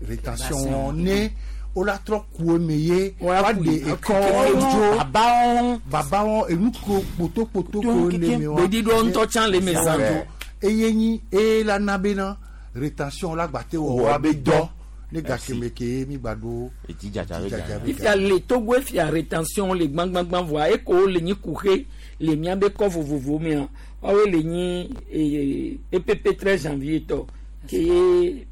rétention wɔn ne wola trɔ ku eme ye Woa kui. woaɖe ekɔwo dzo Babawo. babawo enu ko kpotokpoto ko le me wa Gbeɖiɖɔ ŋutɔ tsã le eme zã Ouais. eye nyi eye la na bena rétention la gba te wɔ Wɔ wa be be dɔ dɔ. ne gakeme ke mi gba ɖo Edzi dzadza be Dzadza dzadza. be fifia le Togo efia rétention le gbãgbãgbã voa eko le nyi kuxe le miabe kɔ vovovo mea woawoe le nyi EPP 13 janvier tɔ ke ye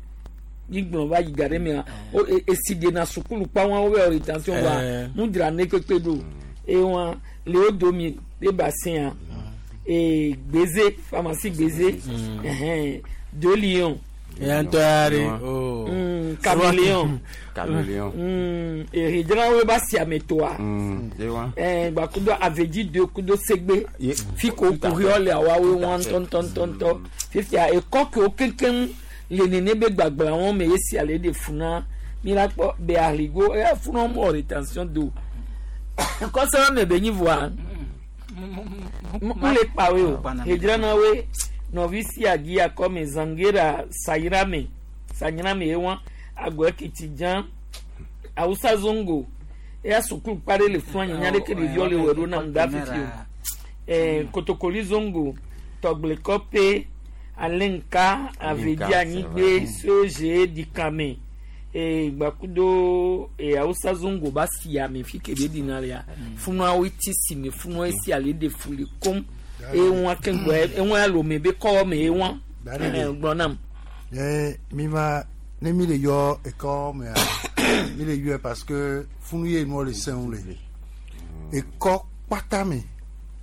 gbigblɔ va yi ga ɖe mea wo esi ɖena sukulu kpa wɔn wo rétention voa Eh. nu dzra ne kpekpe ɖo eye wɔn le wo domi le bassin ee gbeze pharmacie gbeze ɛhɛn deux lions eya ŋutɔ ya ɖe o caméléon Caméléon. èrèdzrawo ba si ame toa Ye wa. gbakudo avedzi do kudo segbe Ye- fi ko Tout à kuxi fait. le awawo wọn ŋutɔŋutɔŋutɔ fifia ekɔ kewo keŋkeŋ le nene be gbagba wɔn me esi ale de funa mi la kpɔ be ahligo eya funa mɔ retention do kɔsɛbɛ me be nyi voa m le kpawe o edzranawoe nɔvi si adi akɔme zangera sayirame sayirame ye wɔn agbɔ ekiti dzã awusa zongo eya sukulu kpa ɖe le fún anyi ɖeke ɖeviwo le wɔ ɖo nam da fifi o ɛɛ kotokoli zongo tɔgblekɔpe alenka avedi anyigbe soze dikame ee gbakudo ee awusa zongo ba si ame fi ke be dina lea funuawo ti si me funuawo si ale de fuli kom eŋua keŋgbɔ eŋua lome be kɔwɔ me eŋua ɛɛ gblɔ nam. Eh, mi ma ne mi le yɔ ekɔ mea mi le yɔɛ parce que funu ye nua le sɛnw le ekɔ kpata me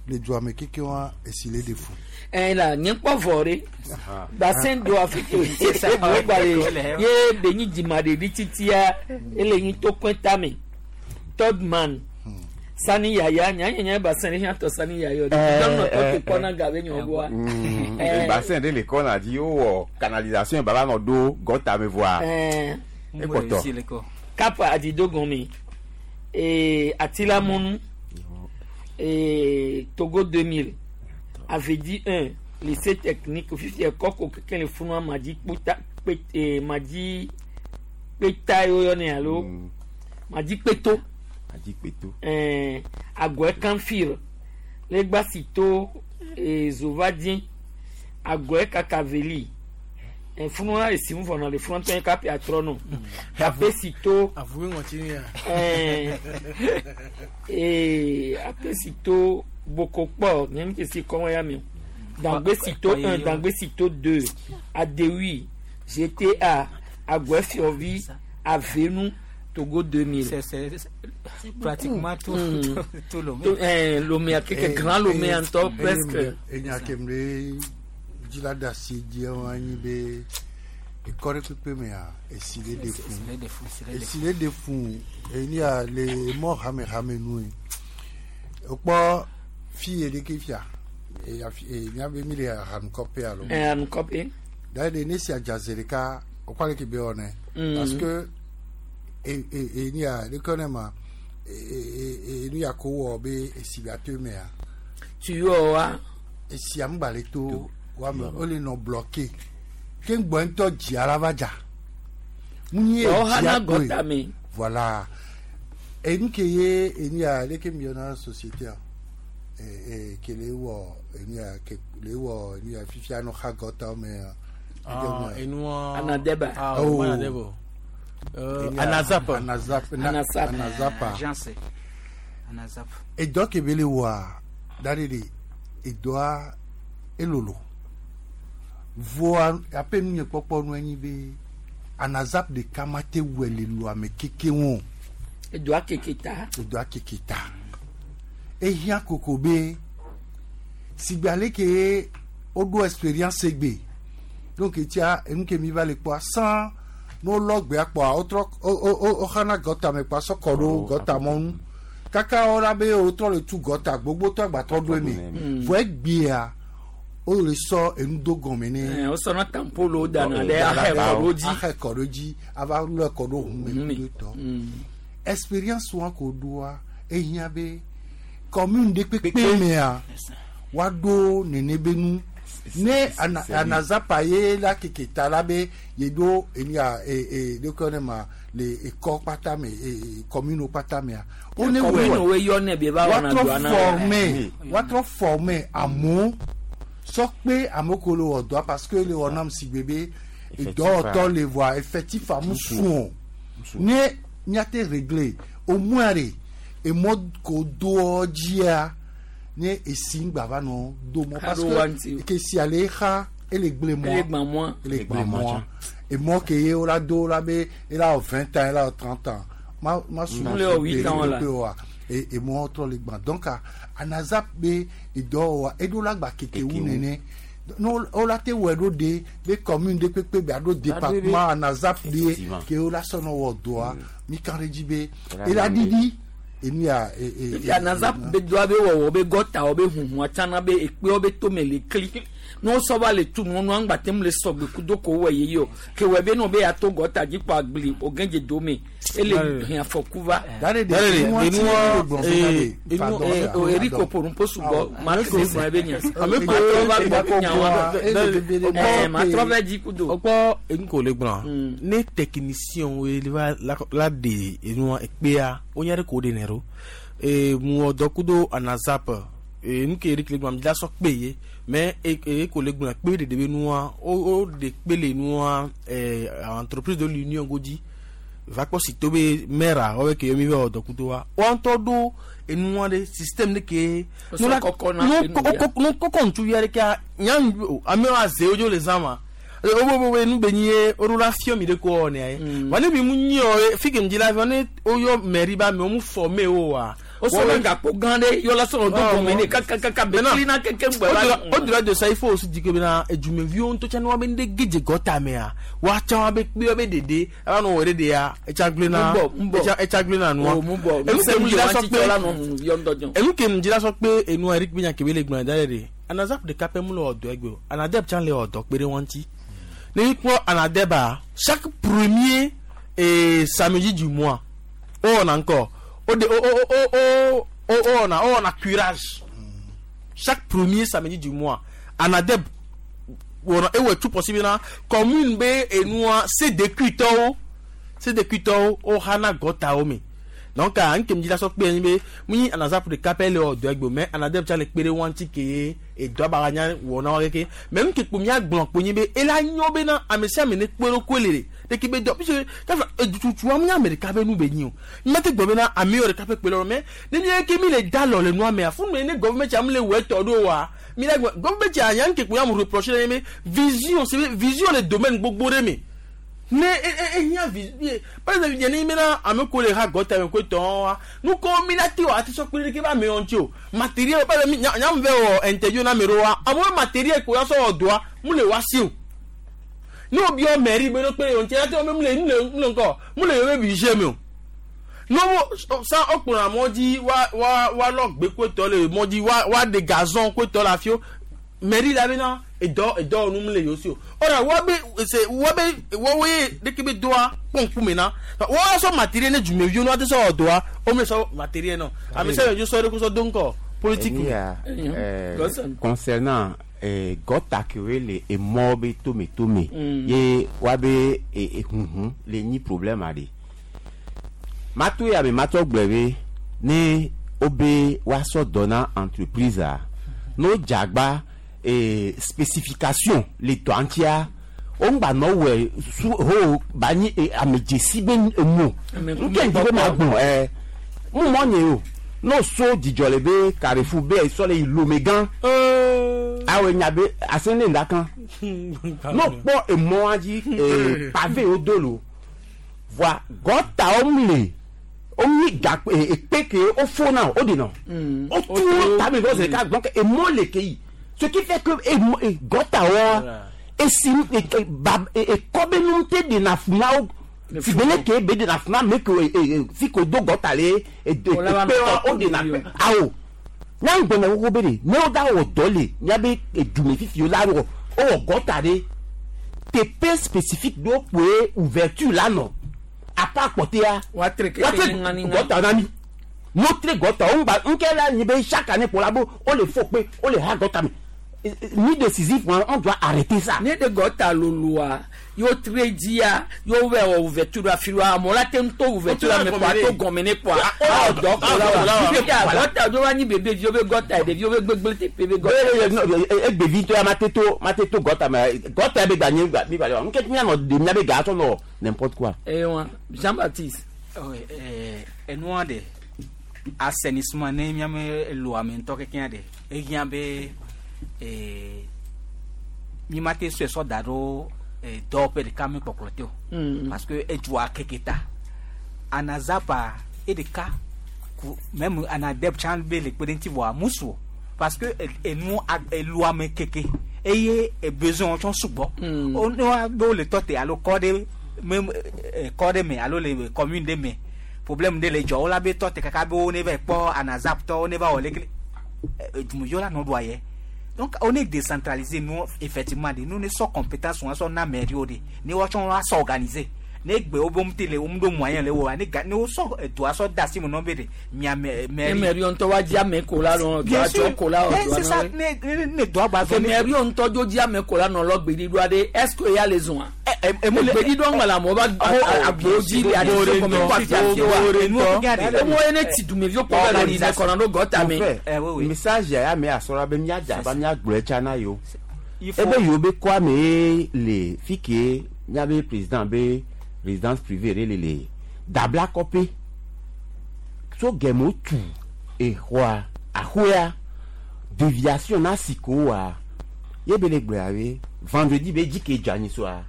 le dua me keke wa esi le de fu. ɛn la nye kpɔ vɔ ɖe basɛn do afi ke gba le ye be nyi dzima ɖevi titia ele nyi tokɔe tame third man sani yaya nyanyanya basɛn ɖe hiã tɔ sani yaya o Eh, dɔnɔ tɔ eh, te kpɔna ga be nyɔ gbɔa. Eh. Bassin ɖe le kɔna dzi wowɔ canalisation baba nɔ ɖo gɔta me voa. Ɛɛ. Ekpɔtɔ. kapa adidogɔnmi ee atilamɔnu ee togo 2000 avedi 1 lycée technique fifi ɛkɔ ko keke le funua madzi kpota kpe ee madzi kpeta ye woyɔnɛ alo madzi kpeto Madzi kpeto. ɛɛ agɔɛ kanfir legbasito ee zovadie agɔɛ kakaveli ɛ funua esi mu vɔnɔ le funua tɔn kapi atrɔ nɔ apesito avuwe ŋɔti ni ya. ɛɛ ee apesito bokokpɔ nye mi kesi kɔmɔ ya mi o dangbesito 1 dangbesito 2 adewi gta agbɛfiɔvi avenu togo 2000. C'est pratiquement tout, tout Lomé. Tout, eh, Lomé, quelques grands Lomé en top, presque. Enya kemle dzila da si dzi wa anyi be ekɔ ɖe kpekpe mea esi le de fun Esi le de fun, esi le de esi le de fun enia le mɔ hamehame nu ye wokpɔ fi ye ɖeke fia e afi e miabe mi le ahanukɔƒe alo. Eh, ahanukɔƒe. Da de ne si adza zi ɖeka wokɔ ale ke be wɔnɛ. Mm. Parce que e e enia ɖeke ne ma nu ya ko wɔ be esi ba to mea. Tuyau wa. Esi amgba le to wa me o le nɔ bloqué. Ke ŋgbɔ ŋutɔ dzia la va dza. Mu nye Wa wo dzia hana koe. gɔta me. Voilà. Enu ke ye enu ya leke mi yɔna société a ke le wɔ enu ya ke le wɔ enu ya fifia no xa gɔta me a. Ah, enua Anadeba. Ah, Oh. Anadeba. Enu ya- Anazap. Anazap. Anazap. Anazapa. Agence. Anazap. Edɔ ke be le wɔa da ɖe ɖe edɔa elolo. Voa aƒe nu nye kpɔkpɔ nu enyi be Anazap ɖeka ma te wɔe le loa me keke ŋu o. Edoa keke ta. Edoa keke ta. Ehiã koko be sigbe ale ke woɖo experience gbe donc etia enu ke mi va le kpɔa san ne wolɔ gbea kpɔa wotrɔ woxana gɔta me kpɔa sɔ kɔ ɖo gɔta mɔnu kaka wola be wotrɔ le tu gɔta gbogbotɔ agbatɔ ɖo eme vɔ egbea wole sɔ enu do gɔme ne. Wo sɔnna tampolo dana ɖe ahɛ kɔ ɖo dzi. Ahɛ kɔ ɖo dzi ava lɔ kɔ ɖo hun me kudo tɔ. Experience wa ko ɖoa ehiã be commune ɖe kpekpe mea woaɖo nene be nu ne anazapa ye la keke ta la be yeɖo enu ya ɖeke ne ma le ekɔ kpata me commune kpata mea. Wo ne wɔ commune wo yɔ ne be va wɔna woatrɔ doa na. former woatrɔ former amewo sɔ kpe amewo ko le wɔ dɔa parce que le wɔ nam si gbe be dɔwɔtɔ le voa effectif amu sun o ne míate régler au moins de emɔ ko doɔ dzia ne esi ŋgba va nɔ do mɔ parce que ke si ale xa ele gble mɔ Ele gbã mɔa. ele gbã mɔa emɔ ke ye wola do la be ela wɔ 20 ans ela wɔ 30 ans ma ma su Mu le wɔ huit ans la. wa emɔ trɔ le gbã donc anazap be edɔwɔwa eɖo la gba keke wu nene no wola te wɔe ɖo de be commune ɖe kpekpe be aɖo département anazap de ke wola sɔnɔ wɔ dɔa mi kan ɖe dzi be ela ɖiɖi enu ya Efi anazap be doa be wɔwɔ be gɔtawo be huhua tsana be ekpewo be tome le kli. Ne wosɔ va le tu nua nua ŋgba tem le sɔgbe kudo ko wɔ ye o. Ke wɔ be no be ato gɔta dzi kpɔ agbli o gɛdze dome. Ele hɛn afɔku va. Dare de Eriko porumpo sugbɔ maa ke gblɔ ebe nya. Ame Maa trɔ va gbɔ be nya wa. Maa trɔ va dzi kudo. Wokpɔ enu ko le gblɔa ne technicien wo le va la de enua ekpea wonya ɖe ko wo ɖenɛ ɖo mu wɔ dɔ kudo anazap nu ke Eric le gblɔa mi la sɔ kpe ye mais e ko le gblɔa kpe ɖeɖe be nua wo wo ɖe kpe le nua entreprise de l'union godzi va kpɔ si to be maire wɔbɛ ke mi va wɔ dɔ kudo wa woa ŋutɔ ɖo enua ɖe système ɖe ke Wosɔ kɔkɔ na enu ya. nu kɔkɔ ŋutsuvi aɖekea nya amewo aze wo dzo le zã ma wo wo nu be nyi ye woɖo la fiɔ mi ɖe ko wɔnɛ ye wa ne mi mu nyi o ye fi ke mi dzi la fiɔ ne woyɔ mairie ba ame wo mu former wo wa. Wosɔ be gakpo gã ɖe yɔ la sɔrɔ do gɔme ne kakakaka be kli na keke ŋgbɛ va. Au-delà de ça, il faut aussi dire que bena edumeviwo ŋutɔ tsã ne woabe ŋɖe gedze gɔta mea woatsã woabe kpe woabe ɖeɖe ava nɔ wɔ ɖe ɖea etsa gblẽ na Mu bɔ, mu bɔ. etsa gblẽ na nua. O, mu bɔ. Enu ke Nusẽ mu mu dzi le la wa sɔ tsi tsɔ la kpe nɔ hunu yɔ ŋutɔ dzɔ. enu ke mu dzi la sɔ kpe enua Eric be nya ke be le gblẽ da ɖe ɖe Anazap ɖeka pɛ mu le wɔ dɔ egbe o Anadeb tsã le wɔ dɔ kpe ɖe wɔn ŋuti ne mi kpɔ Anadeba chaque premier samedi du mois o wɔna ŋkɔ o de o o o o o o wɔna o wɔna curage chaque premier samedi du mois Anadeb wɔna ewɔ tout possible na commune be enua CDQ tɔwo CDQ tɔwo o hana gɔtawo me donc a nke mi dzi la sɔ kpe anyi be mu nyi Anazap ɖeka pɛ le wɔ dɔ egbe o mais Anadeb tsa le kpe ɖe wɔn ŋuti ke ye edɔ ba nya wɔ na wa keke mais nu ke kpo mía gblɔ kpo nyi be ela nyɔ be na ame sia ame ne kpe ɖo koe le ɖe ɖeke be dɔ puisque kafa edututua mu nye ame ɖeka be nu be nyi o mete gblɔ be na ame yɔ ɖeka ƒe kpe ɖe mais ne mi ke mi le da lɔ le nua mea funu ne gɔvɛmɛnt tsa mu le wɔ etɔ ɖo wa mi la gblɔ gɔvɛmɛnt tsa nya nke kpo ya mu reproche ɖe nye be vision c'est be vision le domaine gbogbo ɖe me ne ehiã vi par exemple nye ne mena ame ko le ha gɔta me ko tɔn wa nu ko mi la te wa ati sɔ kpe ɖe ke ba ame wɔn ti o matériel par exemple nya nya vɛ wɔ interview na ame ɖewo wa amewo matériel ko ya sɔ wɔ dɔa mu le wa si o ne wo biɔ mairie be ne kpe ɖe wɔn ti ya te wɔ be mu le mu le mu le ŋkɔ mu le yewo be budget me o ne wo san wo kplɔna mɔ dzi wa wa wa lɔ gbe ko tɔ le mɔ dzi wa wa ɖe gazon ko tɔ le afi wo Mairie la bena edɔ edɔ nu le yewo si o. Ɔra wa be se wa be wɔwoe ɖeke be doa kpɔ ŋkume na wɔa sɔ matériel ne dumeviwo ne woate sɔ wɔ dɔa wo me sɔ matériel nɔ ame sia ame dzo sɔ eɖokui sɔ do ŋkɔ politique me. Enia, concernant gɔta kewoe le emɔ be tome tome ye woabe huhu le nyi problème aɖe. Mato ya me matsɔ gblɔe be ne wobe woasɔ dɔ na entreprise a, ne wodze agba spécification le dɔa ŋutia, woŋgba nɔ wɔe su ho ba nyi ame dzesi be enu o. Ame Ŋke ŋdi be magblɔ mu mɔ nye o. Ne woso dzidzɔ le be Carrefour be esɔ le yi Lomé gã. Awɔe nya be ase ne ŋda kan. Ne wokpɔ emɔa dzi pavé wodo lo. Voa gɔtawo mle wonyi gakpo ekpe ke wofo na wo ɖenɔ. Wotu wo tame vɔ zi ɖeka donc emɔ le ke yi. Ce qui fait que gɔtawoa esi ba ekɔ be nu te ɖena fu na wo. Sigbe le ke be ɖena fu na ame ke fi ke wodo gɔta le Wòle va nɔ ekpewoa tɔ woɖena ƒu kpe. Awo. Nyaŋgbɔnya xoxo be ɖe ne woda wɔ dɔ le míabe edume fifi la wɔ wowɔ gɔta ɖe teƒe spécifique ɖewo kpoe ouverture la nɔ. Apa kpɔtɛa Woatre keke woatre ŋaŋaŋa. gɔta na mi. Ne wotre gɔta wo ŋgba ŋke la nyi be chaque année kpo la be wole fo kpe wole ha gɔta me. Ni décisif on doit arrêter ça. Ne ɖe gɔta loloa ye wotre dzia ye wovɛ wɔ ouverture ɖo afi ɖoa amewo la te ŋu to ouverture ame kpoa to gɔme ne kpoa awɔ dɔ ko la wa. Fifia gɔta ɖo va nyi bebeviwo be gɔta ɖeviwo be gbegble teƒe be gɔta. Egbevi ŋutɔ ya mate to mate to gɔta me gɔta ya be gba nye gba mi gba le wa ŋke mianɔ ɖe mia be ga tsɔ nɔ n'importe quoi. Ewa Jean Baptiste. Oui, enua ɖe assainissement ne miame lo ame ŋutɔ kekeŋ ɖe ehiã be mi ma te sɔe sɔ da ɖo dɔwɔƒe ɖeka me kpɔkplɔ te o. Parce que edua keke ta anazapa eɖeka ku même anadeb tsã be le kpe ɖe ŋuti vɔa musu o parce que enu elu ame keke eye besoin tsɔ sugbɔ. O ne wa be wole tɔ te alo kɔ ɖe me kɔ ɖe me alo le commune ɖe me problème ɖe le dzɔ wo la be tɔ te kaka be wo ne va kpɔ anazap tɔ wo ne va wɔ leke dumeviwo la nɔ ɖua yɛ. Donc on est décentralisé nous effectivement de nous ne sommes compétences on sort na mairie de ne wa tsɔ wa s'organiser ne gbe wo bom tele wo do moyen le wo ne ga ne wo sɔ doa sɔ da si mo nɔ be de mia mairie. Ne mairie ŋutɔ wa dzi ame ko la nɔ Bien doa sûr. dzɔ ko la Eh, doa c'est ça nɔ. ne doa gba Ke zɔ ne mairie ŋutɔ dzo dzi ame ko la nɔ lɔ gbeɖiɖoa ɖe est ce que ya le zɔa? emu le Gbeɖiɖoa ŋgba le amewo ba agbowo dzi le aɖe si gɔme kɔ afi afi wa. Emu ye ne ti dumeviwo kpɔ be le ɖiɖe kɔna ɖo gɔta me. Mon frère, message ya me asɔra be míadze aba míagblɔe tsã na yewo. Ebe yewo be kɔa me ye le fi ke míabe président be résidence privée ɖe le le Dabla kɔƒe. Tso gɛme wotu exɔa axɔea déviation na si ko woa ye be le gblɔa be vendredi be dzi ke dze anyi soa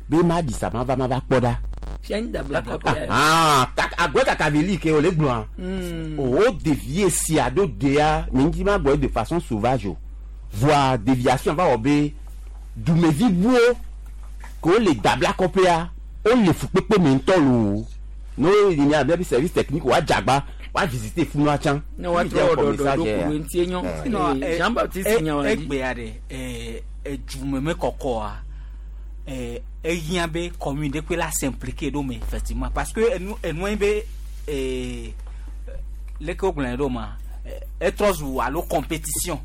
be ma ɖi sa ma va ma va kpɔ ɖa. Fia nyi Dabla kɔƒe ya. Ah, agbe kaka be li ke wòle gblɔa. O dévier sia ɖo dea nye ŋuti ma gbɔ de façon sauvage o. Voa déviation va wɔ be dumevi buwo ke wole Dabla kɔƒea wole fukpekpe me ŋutɔ loo. Ne wo yi mia be service technique woadze agba woa visiter funua tsã. Ne woatrɔ wɔ ɖɔɖɔ ɖo ku ɖo ŋuti enyo. Sinon, Jean Baptiste nya wa dzi. egbea ɖe edzume me kɔkɔa ehiã be commune ɖe koe la s'impliquer ɖo me effectivement parce que enu enua be leke wogblɔnɛ ɖo ma etrɔ zu alo compétition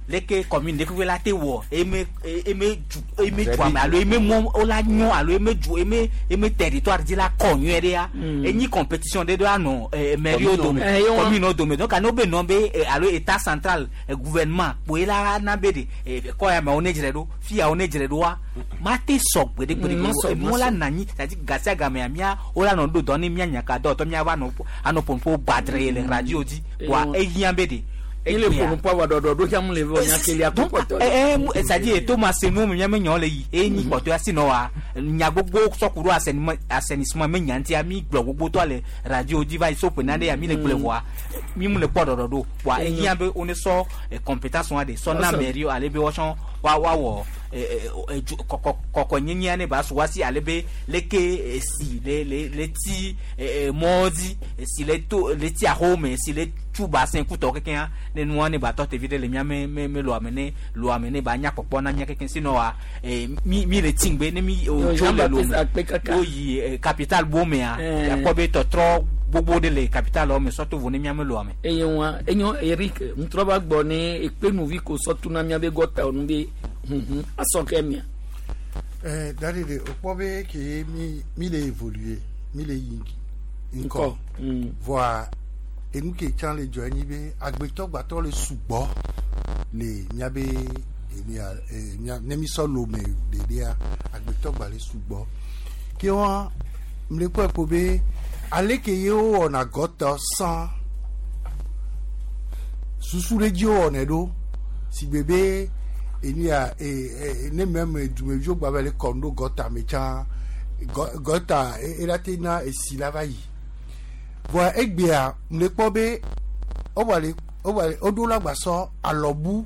leke commune ɖe koe la te wɔ eme eme du eme dua me alo eme mɔ wola nyɔ alo eme du eme eme territoire dzi la kɔ nyuie ɖea enyi compétition ɖe ɖo anɔ mairie wo dome Eh, ye wa. commune wo dome donc ane wo be nɔ be alo état central gouvernement kpoe la na be de kɔ ya me wo ne dzre ɖo fia wo ne dzre ɖoa ma te sɔ gbeɖe gbeɖe Ma sɔ, ma wo la sɔ. na anyi c'est à dire gasia gamea mía wo la nɔ ɖo dɔ ne mía nyaka dɔwɔtɔ mía va nɔ anɔ ƒoƒo gbadre le radio dzi wa ehiã be de Ile ƒonu kpɔ avɔ ɖɔɖɔ ɖo tsã mu le vɔ nyakelia kpɔ kpɔtɔ. c'est à dire to ma se nu me míame nyawo le yi eye nyi kpɔtɔa si nɔ wa nya gbogbo sɔku ɖo assainissement me nya ŋutia mi gblɔ gbogbo tɔ le radio dzi va yi so ƒe na ɖe ya mi le gblɔe vɔa mi mu le kpɔ ɖɔɖɔ ɖo wa ehiã be wo ne sɔ compétence wa de sɔ na Awesome. mairie ale be woatsɔ wa wɔ edu kɔkɔ kɔkɔnyenyea ne ba su wa si ale be leke esi le le le ti mɔwo dzi esi le to le ti axowo me esi le tu bassin kutɔ kekeŋa ne nua ne ba tɔ te vi ɖe le mía me me me loa me ne loa me ne ba nya kpɔkpɔ na mía kekeŋ sinon wa mi mi le ti ŋgbe ne mi Yo, tso Jean le lo Baptiste me akpe kaka. woyi capital bo mea Eh. akpɔ be tɔtrɔ gbogbo ɖe le capital me sɔto vo ne mía me loa me. Eye wa enyo Eric ŋutrɔ va gbɔ ne ekpenuvi ko sɔ tuna mía be gɔta nu be huhu asɔ ke mia. Dadi de o kpɔ be ke mi mi le évoluer mi le yi Ŋkɔ. ŋkɔ voa enu ke tsã le dzɔ enyi be agbetɔ gbatɔ le sugbɔ le miabe enia mia ne mi sɔ lome ɖeɖea agbetɔ gba le sugbɔ ke wa mle kpɔe ko be ale ke ye wowɔna gɔtɔ sã susu ɖe dzi wowɔnɛ ɖo si gbe be enia e e ne meme dumeviwo gba va le kɔm ɖo gɔta me tsã gɔta ela te na esi la va yi voa egbea mle kpɔ be wova le wova le woɖo la gbasɔ alɔbu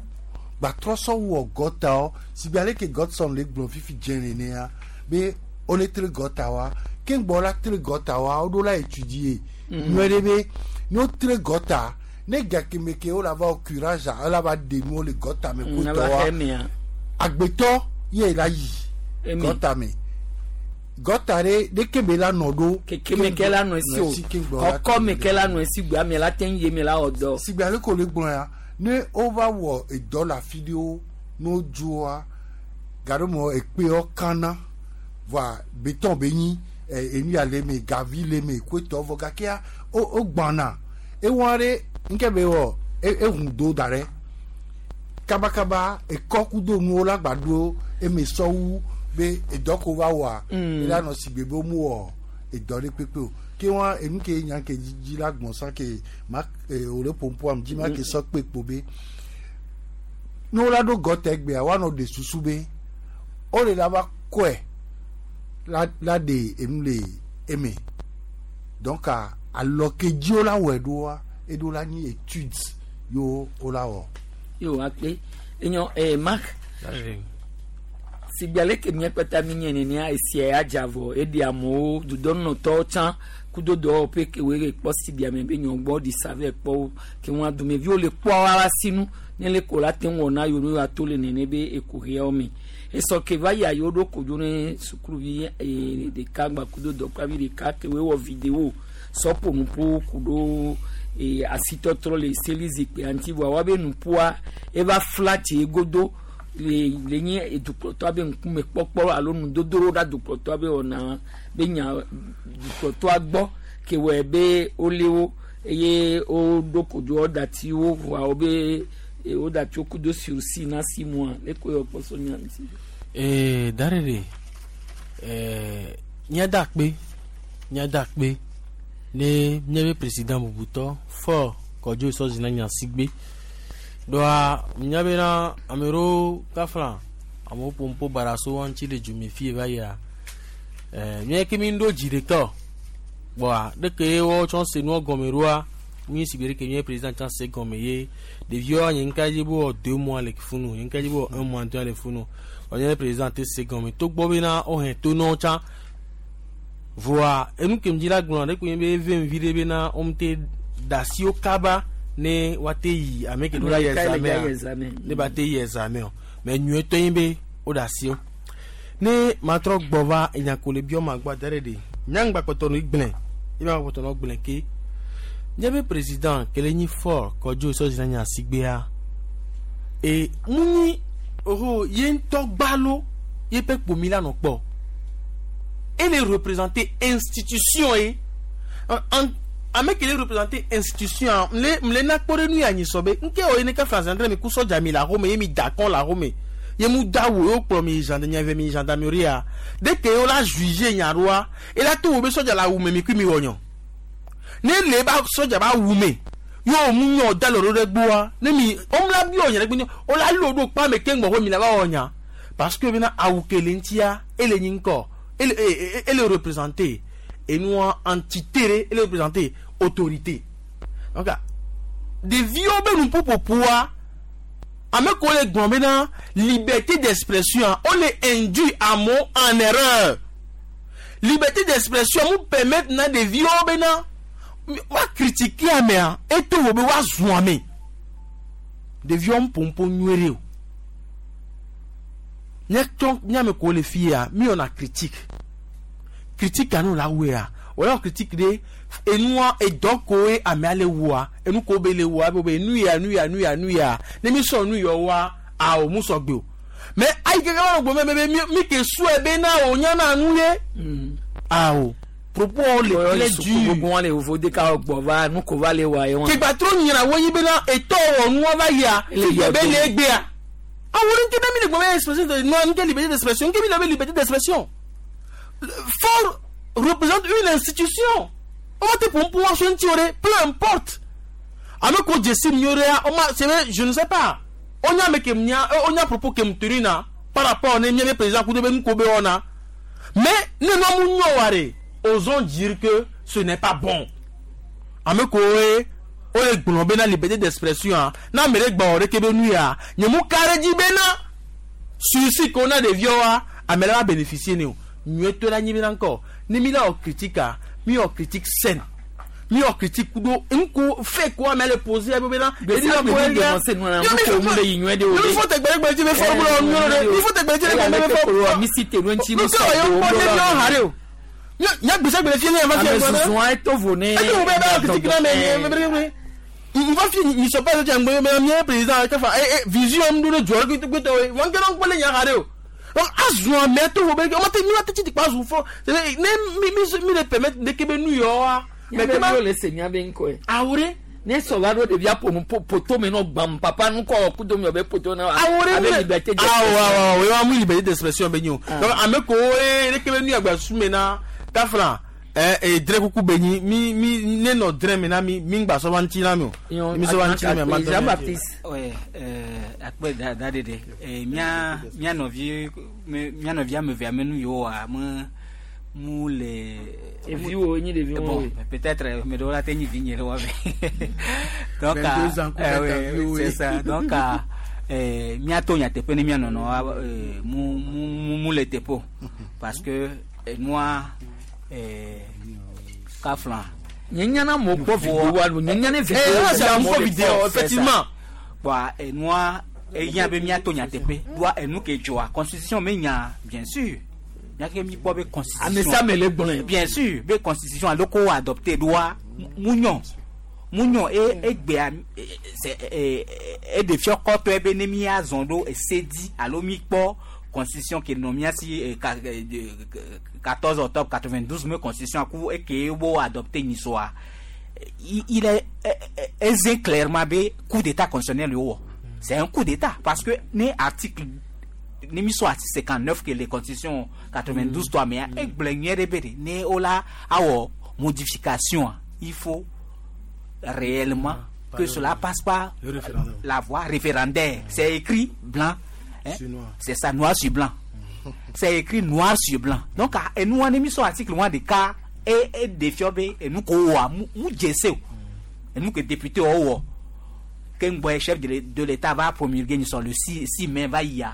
gbatrɔ sɔ wɔ gɔtawo si gbe ale ke Godson le gblɔ fifi dze nenea be wole tre gɔtawoa ke ŋgbɔ la tre gɔtawoa woɖo la étudier nyuie ɖe be ne wotre gɔta ne gakeme ke wola va wɔ curage a wola va ɖe nuwo le gɔta me Mm, ava kotɔwoa xe mia. agbetɔ ye la yi Emi. gɔta me gɔta ɖe ɖeke be la nɔ ɖo Keke me ke la nɔ esi o kɔkɔ me ke la nɔ esi gbea me la te ŋu ye me la wɔ dɔ. sigbe ale ko le gblɔ ya ne wova wɔ edɔ le afi ɖewo ne wodzoa gaɖome ekpewo kana voa beton be nyi enu ya le me gavi le me koetɔ vɔ gakea wo wogbãna ewɔ ɖe ŋke be wɔ ehun do da ɖe kabakaba ekɔ kudo nuwo la gba ɖo eme sɔwu be edɔ ko va wɔa ela nɔ sigbe be womu wɔ edɔ ɖe kpekpe o ke wa enu ke nya ke dzi la gbɔn sa ke ma wo le pompoam dzi ma ke sɔ kpe kpo be ne wola ɖo gɔtɛ gbea woanɔ ɖe susu be wole la va kɔe la la ɖe enu le eme donc alɔ ke dzi wola wɔe ɖoa eɖo la nyi étude yewo wola wɔ. Yo akpe enyo Mark sigbe ale ke mía kpata mi nye nenea esia ya dza vɔ eɖi amewo dudɔnɔtɔwo tsã kudo dɔwɔƒe ke woe le kpɔ si ɖiame be nyɔgbɔ ɖi sa vɛ kpɔ wo ke ŋua dumeviwo le kpɔ wa sinu ne le ko la te ŋu wɔ na yewo ne woato le nene be ekuxiawo me esɔ ke va yia yewo ɖo kodzo ne sukuluvi ɖeka gba kudo dɔkplavi ɖeka ke woe wɔ vidéo sɔ ƒo nuƒo ku ɖo asitɔtrɔ le seli zikpuia ŋuti vɔa woabe nuƒoa eva fla tsi godo le le nye edukplɔtɔa be ŋkume kpɔkpɔ alo nudodoɖo ɖa dukplɔtɔa be wɔna be nya dukplɔtɔa gbɔ ke wɔe be wolé wo eye woɖo kodzo woɖati wo vɔa wobe woɖati wo kudo sursis na si mois le ko yɔ kpɔ so nya ŋuti. Darere míada akpe míada akpe ne míabe président bubutɔ fɔ Kɔdzo Sɔzina Nyasigbe ɖoa nya bena ame ɖewo kafla amewo ƒom ƒo bara so wa ŋuti le dzume fie va yia mía ke mi ɖo dzi ɖeka o kpɔa ɖeke ye woawo tsɔ se nua gɔme ɖoa mi si gbe ɖeke mía président tsã se gɔme ye ɖeviwoa nye ŋka dzi be wɔ 2 mois le funu nye ŋka dzi be wɔ un mois ŋutɔ le funu wɔ nye président te se gɔme togbɔ bena wohɛ to nɔwo tsã voa enu ke dzi la gblɔ ɖe ko nye be eve vi ɖe bena womte da asi wo kaba ne woate yi ame ke ɖo la yi Ame examen ne ba te yi examen o mais nyuietɔ nye be wo da asi wo ne matrɔ gbɔ va enya ko le biɔ ma gbɔ da ɖe ɖe nyaŋgba kpɔtɔ no gblẽ ye ma kpɔtɔ no gblẽ ke nye be président ke le nyi Faure Kɔdzo Sɔzina Nyasigbea e mu nyi oho ye ŋutɔ gbalo ye ƒe kpomi la nɔ kpɔ ele représenter institution ye ame ke le représenter institution mle mle na kpɔ ɖe nu ya nyi sɔ be nke wɔ ye ne ke France andre mi ku sɔdza mi le axome ye mi da kɔn le axome ye mu da wo ye wokplɔ mi yi gendarmerie mi yi gendarmerie ya de ke wo la juger nya ɖoa ela to wo be sɔdza le awu me mi kui mi wɔ nyɔ ne le ba sɔdza ba wu me yo mu nyɔ da le ɖo ɖe gbɔa ne mi womla bi wɔ nya ɖe gbe wo la lo ɖo kpa me keŋ gbɔ mi la va wɔ nya parce que bena awu ke le ŋutia ele nyi ŋkɔ ele ele représenter enua entité ɖe ele représenter autorité donc ɖeviwo be nuƒoƒoƒoa. Ame ko le gblɔ bena liberté d'expression o le induit amewo en erreur. Liberté d'expression mu permettre na ɖeviwo bena woa critiquer amea eto wo be woazu ame. Ɖeviwo mu ƒoƒo nyuie ɖe o. Míatsɔ míame ko le fia míwɔna critique. Critique anu la wɔea wòle critique ɖe enua edɔ koe amea le wɔa enu ko be le wɔa be be nu ya nu ya nu ya nu ya ne mi sɔ nu yɔ wɔa awo mu sɔ gbe o mais ayi keke wɔn gbɔ mɛ be mi ke sɔe be na o nyana nu ye awo propos le très dur gbogbo wọn le vovo de ka gbɔ va nu ko va le wa ye wọn. kegba tro nyina wo yi bena etɔ wɔ nua va yia Le be le egbea awo ne ke ne mi le gbɔ be expression de non nke liberté d'expression nke mi le be liberté d'expression fort représente une institution on va te pour pouvoir se tirer peu importe ame ko jesi mieux on ma c'est vrai je ne sais pas on a me ke mnya on a propos ke mturina par rapport ne mien président coup de be ko be ona mais ne no mu nyo ware osons dire que ce n'est pas bon ame ko e o le gblɔ bena liberté d'expression a na ame ɖe gbɔ ɖeke be nu ya nye mu ka ɖe dzi bena susi ko na ɖeviawoa ame ɖe va bénéficier ne o nyuietɔ la nyi bena ŋkɔ ne mi la wɔ critique a mi wɔ critique saine mi wɔ critique kudo ŋku fait ko ame le poser ebe bena Gbèsè àgbè mi dénoncer nu na nu ko mu le yi nyuie de o mi fɔ tɛgbɛrɛgbɛrɛ ti bɛ fɔ bolo nyuie de mi fɔ tɛgbɛrɛ ti bɛ bɛ fɔ mi si te nu ŋuti mi mu sɔ yɔ kpɔ ne mi ha de o nya gbèsè gbèsè fi ne yɛ ma fi Ame yɛ zuzu a eto vo ne. eti wo bɛ bɛ critique na mɛ mɛ mɛ mɛ n fa fi ni sɔ pas ti ŋgbɛ mɛ miɛ président kafa eh eh vision mi do ne jɔ gbɛtɔ ye wɔn kɛlɛ ŋgbɛ le nya ha de o donc azu ame to wo bɛ ɔmɔ te mi wa te tsi ti kpa azu fɔ c'est ne mi mi mi le permettre de ke be nu yɔ wa mais kema le se nya be ŋkɔe. Awore. Ne sɔ va ɖo ɖevia ƒo nu poto me nɔ gbam papa nu kɔ kudo mi be poto na. Awore abe liberté awɔ awɔ o ye wa mu liberté d'expression be nyi o donc ame ko ye ne ke be nu yagba su me na kafla ɛ ɛ drɛ kuku be nyi mi mi ne nɔ drɛ mi na mi mi ŋgba sɔ va ŋuti na mi o mi sɔ va ŋuti na mi a ma dɔn mi. Ouais, akpe da da de de. Mía mía nɔvi mía nɔvi ame eve ame nu yiwo wa me mu le. Eviwo nyi ɖeviwo Bon, woe. peut-être ame ɖewo la te nyi vinye le wa me. Donc 22 ans, ah, ouais, viwo, c'est oui. ça. Donc ah, míato nyateƒe ne mía nɔnɔ mu mu mu mu le teƒe o parce que enua kafla. Nye nyana mo kpɔ vidéo wa lo nye nyana vidéo. Eh, c'est un faux vidéo, effectivement. Bon, enua ehiã be míato nyateƒe doa enu ke dzɔa constitution me nya bien sûr míake mi kpɔ be constitution. Ame sia ame le gblɔe. Bien sûr be constitution alo ko adopté doa mu nyɔ mu nyɔ e egbea e e eɖe fiɔ kɔtɔe be ne míazɔ ɖo ese dzi alo mi kpɔ constitution ke nɔ mía si e, ka e, de- 14 octobre 92 me constitution ku eke wo adopté nyisoa il est aisé clairement be coup d'état constitutionnel yo wɔ c'est un coup d'état parce que ne article ne mi sɔ article 59 ke le constitution 92 tɔ mea egblɔ nyuie ɖe be de ne wo la awɔ modification a, il faut réellement que cela passe par Le référendum. la voie référendaire. C'est écrit blanc. hein. Sur noir. C'est ça, noir sur blanc. C'est écrit noir sur blanc. Donc, ah, et nous, on a mis sur article 1 de cas et, et défiant, et nous, quoi, nous, djessé. Et nous, que député, oh, oh. Que nous, chef de l'État va promulguer, nous sommes le 6 mai, va y a.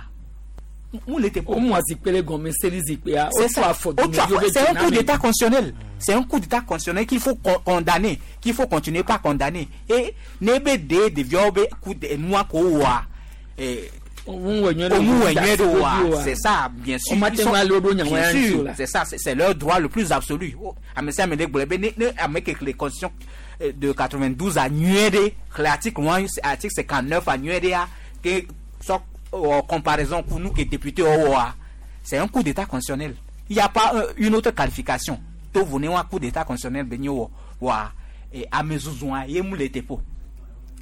Nous, l'été O mu azikpe le gɔme seli zikpea. c'est ça. O Au C'est un coup d'état constitutionnel. C'est un coup d'état constitutionnel qu'il faut condamner, qu'il faut continuer par condamner. Et nebe de de viobe coup de noa ko wa. Eh, c'est ça, bien sûr. O ma Ils te sont- ŋua le ɖo nya bien wɔya sûr, ŋuti o la. c'est ça, c'est leur droit le plus absolu. Oh, ame sia ame ɖe gblɔ be ne ne ame ke le constitution de 92 a nyuie ɖe, xlẽ article 1, article 59 a nyuie ɖea, ke sɔ wɔ comparaison ku nu ke député wɔa, c'est un coup d'état constitutionnel. Il n'y a pas une autre qualification. To vo ne wa coup d'état constitutionnel be nye wɔ wa ame zuzua ye mu le teƒo.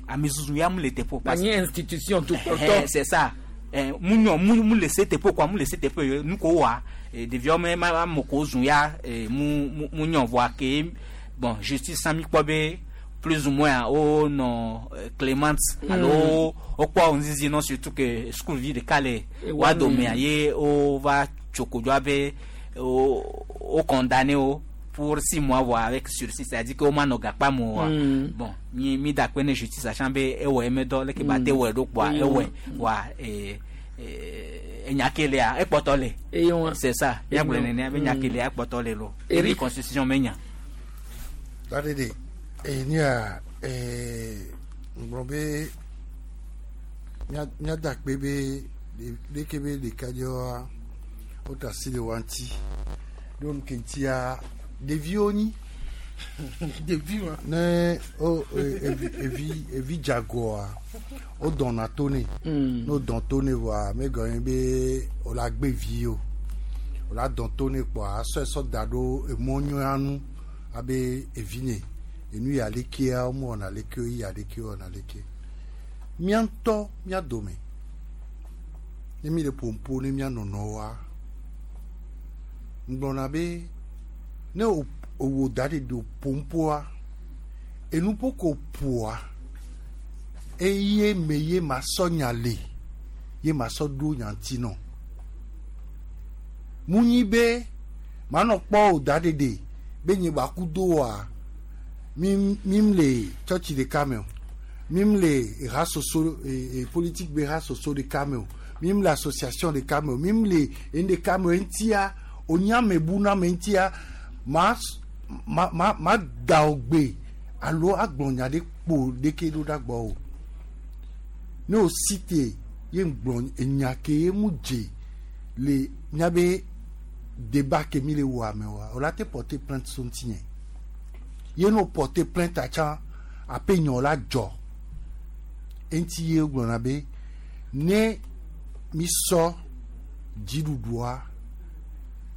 Ame zuzu ya mu le teƒo. Ba nye institution tout Eh, kpɔtɔ. c'est ça. Eh, mu nyɔ mu mu le se teƒe quoi mu le se teƒe ye nu ko wa eh, ɖeviawo me ma ame ko zu ya eh, mu mu mu nyɔ voa ke bon justice mi kpɔ be plus ou moins wo nɔ clémente alo wo kpɔ ŋzizi nɔ surtout que school vi ɖeka le Eh, wa wa domea me. ye wo va tso kodzoa be wo wo condamné wo pour 6 mois voa avec sursis, c'est-à-dire que woma nɔ gakpa me oa. Bon, mi mi da akpe ne justice atsã be ewɔ eme dɔ leke ba te wɔe ɖo kpoa ewɔe voa enya ke lea ekpɔtɔ le. Eyo. C'est ça, miagblɔe nenea be nya ke lea ekpɔtɔ le lo. Eric. Constitution me nya. Dadede, enia ŋgblɔ be míada akpe be ɖeke be ɖekadzewoa wota asi le wa ŋuti ɖo nu ke ŋutia ɖeviwo nyi. Ɖevi ma. Ne o evi evi dzagoa wodɔna to nɛ. Ne wodɔn to nɛ vɔa megɔme be wòle agbe vi o wòle adɔn to nɛ kpoa asɔe sɔ da ɖo emɔ nyuia nu abe evi nye enu ya lekea womewɔna leke o ya leke wɔna leke mía ŋutɔ mía dome ne mi le ƒoƒo ne mía nɔnɔwoa ŋgblɔna be ne owó da ɖe do ƒoƒoa enuƒo ko ƒoa eye me ye ma sɔ nya le ye ma sɔ ɖo nya ŋuti nɔ mu nyi be manɔ kpɔ o da ɖeɖe be nye ba ku do wa mi mi le tsɔtsi ɖeka me o mi le ha soso politique be ha soso ɖeka me o mi le association ɖeka me o mi le enu ɖeka me o eŋutia onyame bu na me ŋutia ma ma ma ma da o gbe alo agblɔ nya ɖe kpo ɖeke ɖo ɖa gbɔ o ne o si te ye ŋgblɔ enya ke ye mu dze le miabe débat ke mi le wɔ ame wa o la te porter plainte so ŋuti nye ye no porter plainte atsã aƒe nyɔ la dzɔ eŋuti ye gblɔna be ne mi sɔ dziɖuɖua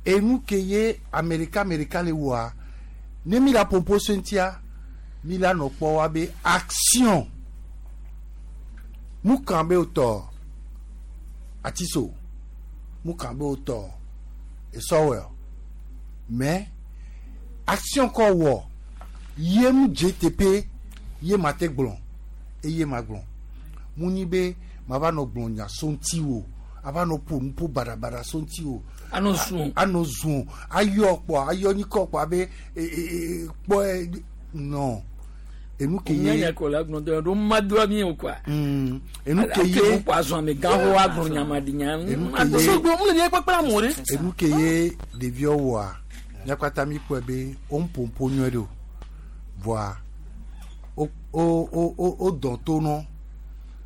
enu ke ye ame ɖeka ame ɖeka le wɔa ne mi la ƒoƒo so ŋutia mi la nɔ kpɔ wa be action mu kan be wotɔ atiso mu kan be wotɔ esɔwɛ mais action kɔ wɔ ye mu dze teƒe ye ma te gblɔ eye ma gblɔ mu nyi be ma va nɔ gblɔ nya so ŋuti o ava nɔ ƒo nuƒo baɖabaɖa so ŋuti o. Anɔ zun. Anɔ zun ayɔ kpɔ ayɔ nyikɔ kpɔ abe kpɔ non enu ke ye. Nyanya ko la gblɔ dɔ ɖo madoa mi o quoi. Enu ke ye. Ake kpɔ azɔn ame gã ho agblɔ nyama di nya. Enu ke ye. Enu ke ye ɖeviwo wɔa míakpata mi kpɔe be wo ƒoƒo nyuie ɖe o voa wo wo wo wo dɔn to nɔ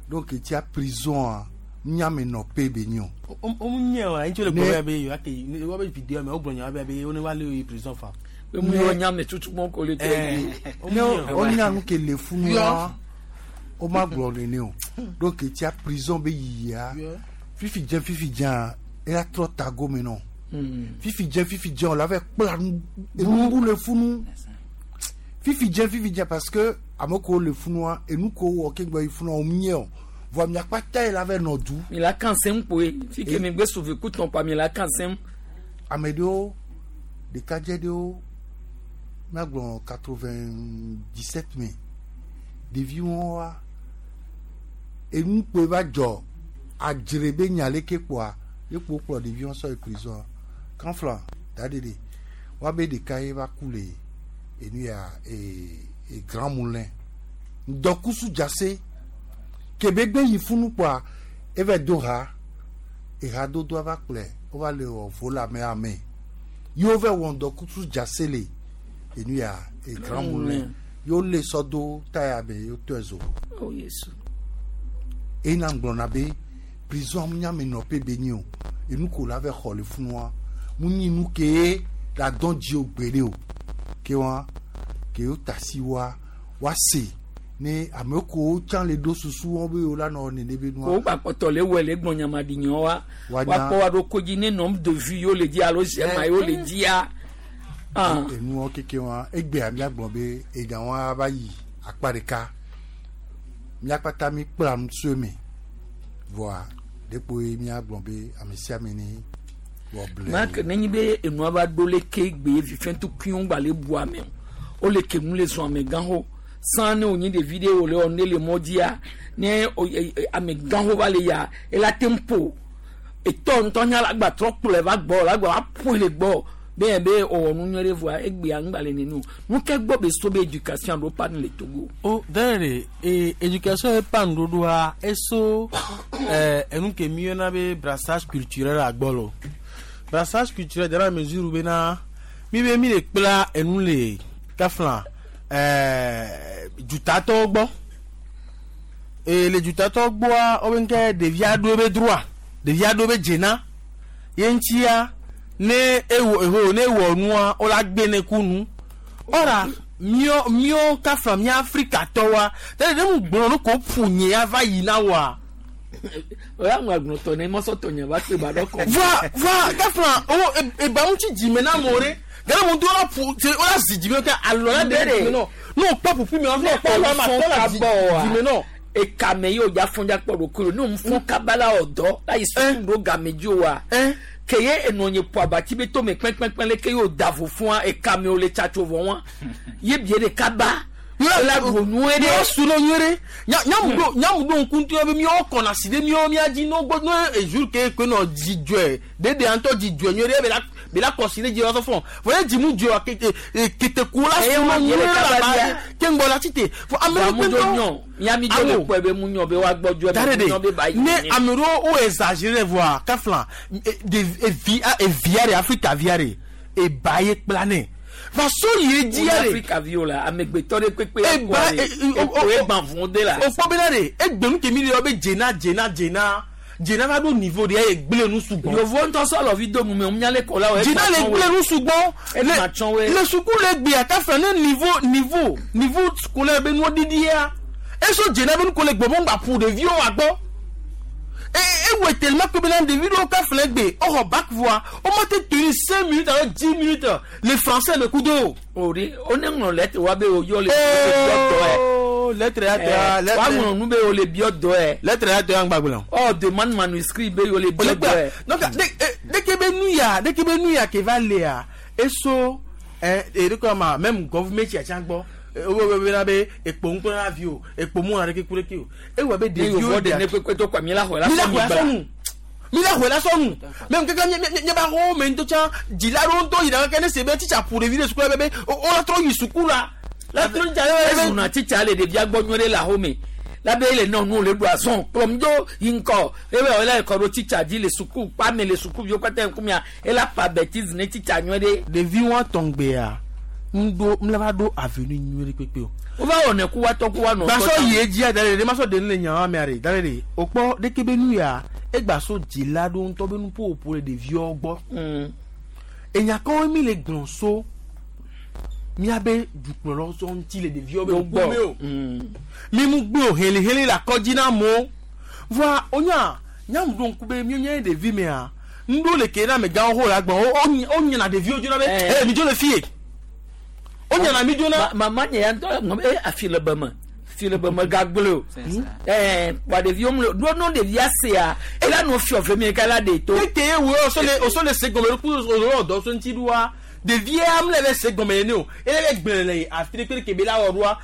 donc etia prison nyame nɔ pe be nyi o. O mu nye wa ŋutsu le gbɔ be yewoa ke wobe video me wogblɔ nya be wo ne va lé yi prison fa. Mu yɔ nyame tutu mɔ ko le tɛ. Ne wonya nu ke le funua wo ma gblɔ nene o donc etia prison be yiyia fifi dze fifi dzea eya trɔ ta gome nɔ fifi dze fifi dze o la va kpla nu enu le funu fifi dze fifi dze parce que ame kewo le funua enu kewo wɔ ke gbɔ yi funua wo nye o vɔ miakpata yi la va nɔ du. Mi la kan sɛm koe fi ke mi gbe sauver kutɔn pa mi la kan sɛm. Ame ɖewo ɖekadze ɖewo míagblɔ 97 me ɖeviwo wa enu kpoe va dzɔ adzre be nya leke kpoa ye kpo kplɔ ɖeviwo sɔ yi prison kanfla da ɖeɖe woabe ɖeka ye va ku le enu ya ee Grand Moulin ŋdɔkusu dzase kebe gbe yi funu kpoa eva do ha eha dodoa va kplɔe wova le wɔ vola me ame yewo va wɔ ŋdɔkusu dzase le enu ya Grand Moulin yewo le sɔ do taya me yewo tɔe zo. Oh Yesu. Ena gblɔna be prison nyame nɔƒe be nyi o enu ko la va xɔ le funua mu nyi nu ke la dɔn dzi o gbeɖe o ke wa ke wo tasi wa wa se ne ame ko tsã le ɖo susu wɔn be wo la nɔ nene be nua. Ko gba kpɔtɔ le wɔ le gbɔn nyama di nyɔ wa wa kpɔ wa ɖo kodzi ne nombre de vues yewo le dzi alo zɛma yewo le dzia. Enuwo keke wa egbea míagblɔ be enya wa va yi akpa ɖeka míakpata mi kpla nu tso eme vɔa ɖekpo ye míagblɔ be ame sia ame ne wɔ ble. Maa ke nenye be enua va ɖo leke gbe fifɛntukuiwo gba le bu ame o wole ke nu le zɔn ame gã ho san ne wònyi ɖevi ɖe wòle wɔ ne le mɔ dzia ne ame gã ho va le ya ela te ŋu ƒo etɔ ŋutɔ nya la gba trɔ kplɔe va gbɔ la gba va ƒoe le gbɔ Be be ɔwɔ nu nyuie ɖe vɔa egbea ŋgba le nene o. Nu ke gbɔ be so be éducation ɖo pa nu le Togo. O dɛrɛ e éducation ye pa nuɖoɖoa eso enu ke mi yɔna be brassage culturel agbɔlɔ. Brassage culturel dans la mesure bena mi be mi le kpla enu le kafla dutatɔwo gbɔ. E le dutatɔwo gbɔa wo be nke ɖevia ɖo be droit, ɖevia ɖo be dzena. Ye ŋutia ne ewɔ eho ne ewɔ nua wo la gbe ne ku nu. Ɔra míɔ míɔ kafla mía Afrikatɔwoa tɛlɛ ne mu gblɔ nu ko ƒo nye ya va yina wa. Oya ŋu agblɔtɔ ne mɔsɔtɔ nye va kpe ba ɖɔ kɔ. Va kafla o eba ŋuti dzime na amewo ɖe gake mu do la ƒo tse wo la zi dzime ke alɔ la ɖe dzime nɔ ne o kpɔ ƒuƒui me wa ne o kpɔ alɔ ma tɔ la zi dzime nɔ. Ekame yi o dza fɔn dza kpɔ ɖokui ne o fɔn kaba la wɔ dɔ la yi suku ɖo game dzi wa. Ke ye enɔ nye ƒo abati be tome kpɛnkpɛnkpɛn le ke ye o da vo fún ekame o le tsatso vɔ wa ye bie de kaba. La ɖu nyuie ɖe. Yɔ su no nyuie ɖe. Nyamu ɖo ŋku ŋutɔ be míawo kɔna si ɖe míawo mía dzi no gbɔ no ezu ke ke nɔ dzidzɔe ɖeɖe ŋutɔ dzidzɔe nyuie ɖe be la kɔ si ɖe dzi la sɔ fɔ. Vɔ ye dzimu dzɔ keteku la su no nyuie ɖe la ba ke ŋgbɔ la tite. Vɔ ame ɖewo kpe ŋutɔ. Miami dzo le kpɔe be mu nyɔ be woagbɔdzɔ be mu nyɔ be ba yi. Ne ame ɖewo wo exagéré vɔa kafla evia ɖe Afrika via ɖe eba ye kpla nɛ. Va so yi dzi ya de. Afrika viwo la amegbetɔ ɖe kpekpe ya kɔ de eko egba vɔn de la. O kpɔ bena de egbenu ke mi le yɔ be dzena dzena dzena dzena va ɖo niveau de eye gblẽ nu sugbɔ. Yovo ŋutɔ sɔ lɔvi do nu me ŋunya le kɔ la o. Dzena le gblẽ nu sugbɔ. Le suku le gbea kafa ne niveau scolaire be nuwo ɖiɖia eso dzena be nuko le gbɔmɔ ŋgba ƒo ɖeviwo agbɔ. Ewɔ tellement que bena ɖevi ɖewo kafa gbe ɔxɔ bac voa wo ma te tenir 5 minutes alo 10 minutes le français me kudo. O de o ne ŋlɔ lettre wa be o yɔ le biɔ dɔ yɛ. Lettre ya tɔ ya. Wa ŋlɔ nu be o le biɔ dɔ yɛ. Lettre ya tɔ ya ŋgba gblɔ. Ɔ demande manuscrit be o le biɔ dɔ yɛ. Donc dès que be nu ya dès que be nu ya ke va lea eso ɛ de ma même gouvernement tsia tsa gbɔ. Wo be na be ekpo ŋkpɔ na vi o ekpo mu na ɖeke ku ɖeke o ewɔ be ɖeviwo de ne kpekpe to kɔ mi la xɔ la sɔnu mi la xɔ la sɔnu mɛ keke nye ba xɔ me ŋutɔ tsã dzila ɖewo ŋutɔ yina keke ne se be titsa ƒo ɖevi ɖe suku la be wo la trɔ yi suku la la trɔ dza ɖe. Ezuna titsa le ɖevia gbɔ nyuie ɖe le axome la be ele nɔ nu le ɖu azɔn kplɔm do yi ŋkɔ ebe wòle kɔ ɖo titsa dzi le suku kpame le sukuviwo katã ŋkumea ela pa bêtise ne titsa nyuie ɖe. Ɖevi wɔn tɔngbea. Ŋdo mleva ɖo avenue nyuie ɖe kpekpe o. Wova wɔ ne ku wa tɔ ku wa nɔ. Gbasɔ yi edzia da ɖe ɖe masɔ de ne le nyawa mea ɖe da ɖe ɖe o kpɔ ɖeke be nu ya egbaso dzila ɖo ŋutɔ be nuƒoƒo le ɖeviwo gbɔ. Enyakawo mi le gblɔ so miabe dukplɔlawo sɔ ŋuti le ɖeviwo be ŋkume o. Mi mu gbe o heliheli le akɔdzi na amewo. Vɔa wonya nyamu ɖo ŋku be mi nye ɖevi mea ŋɖo le ke na amegãwo ho le agbɔ wo nyina ɖeviwo dzona be ee mi dzo le fie. O nyana mi dzona. Mama nye ya ŋutɔ ŋlɔ be afi le beme fi le beme gagble o. Wa ɖeviwo mle ɖo no ɖevia sea ela nɔ fiɔ ve mi ka la ɖe to. Tete wo osɔ le se gɔme ku osɔ dɔ so ŋuti ɖoa ɖevia mle le se gɔme ne o ele le gblẽ le afi ɖe kpe kebe la wɔ ɖoa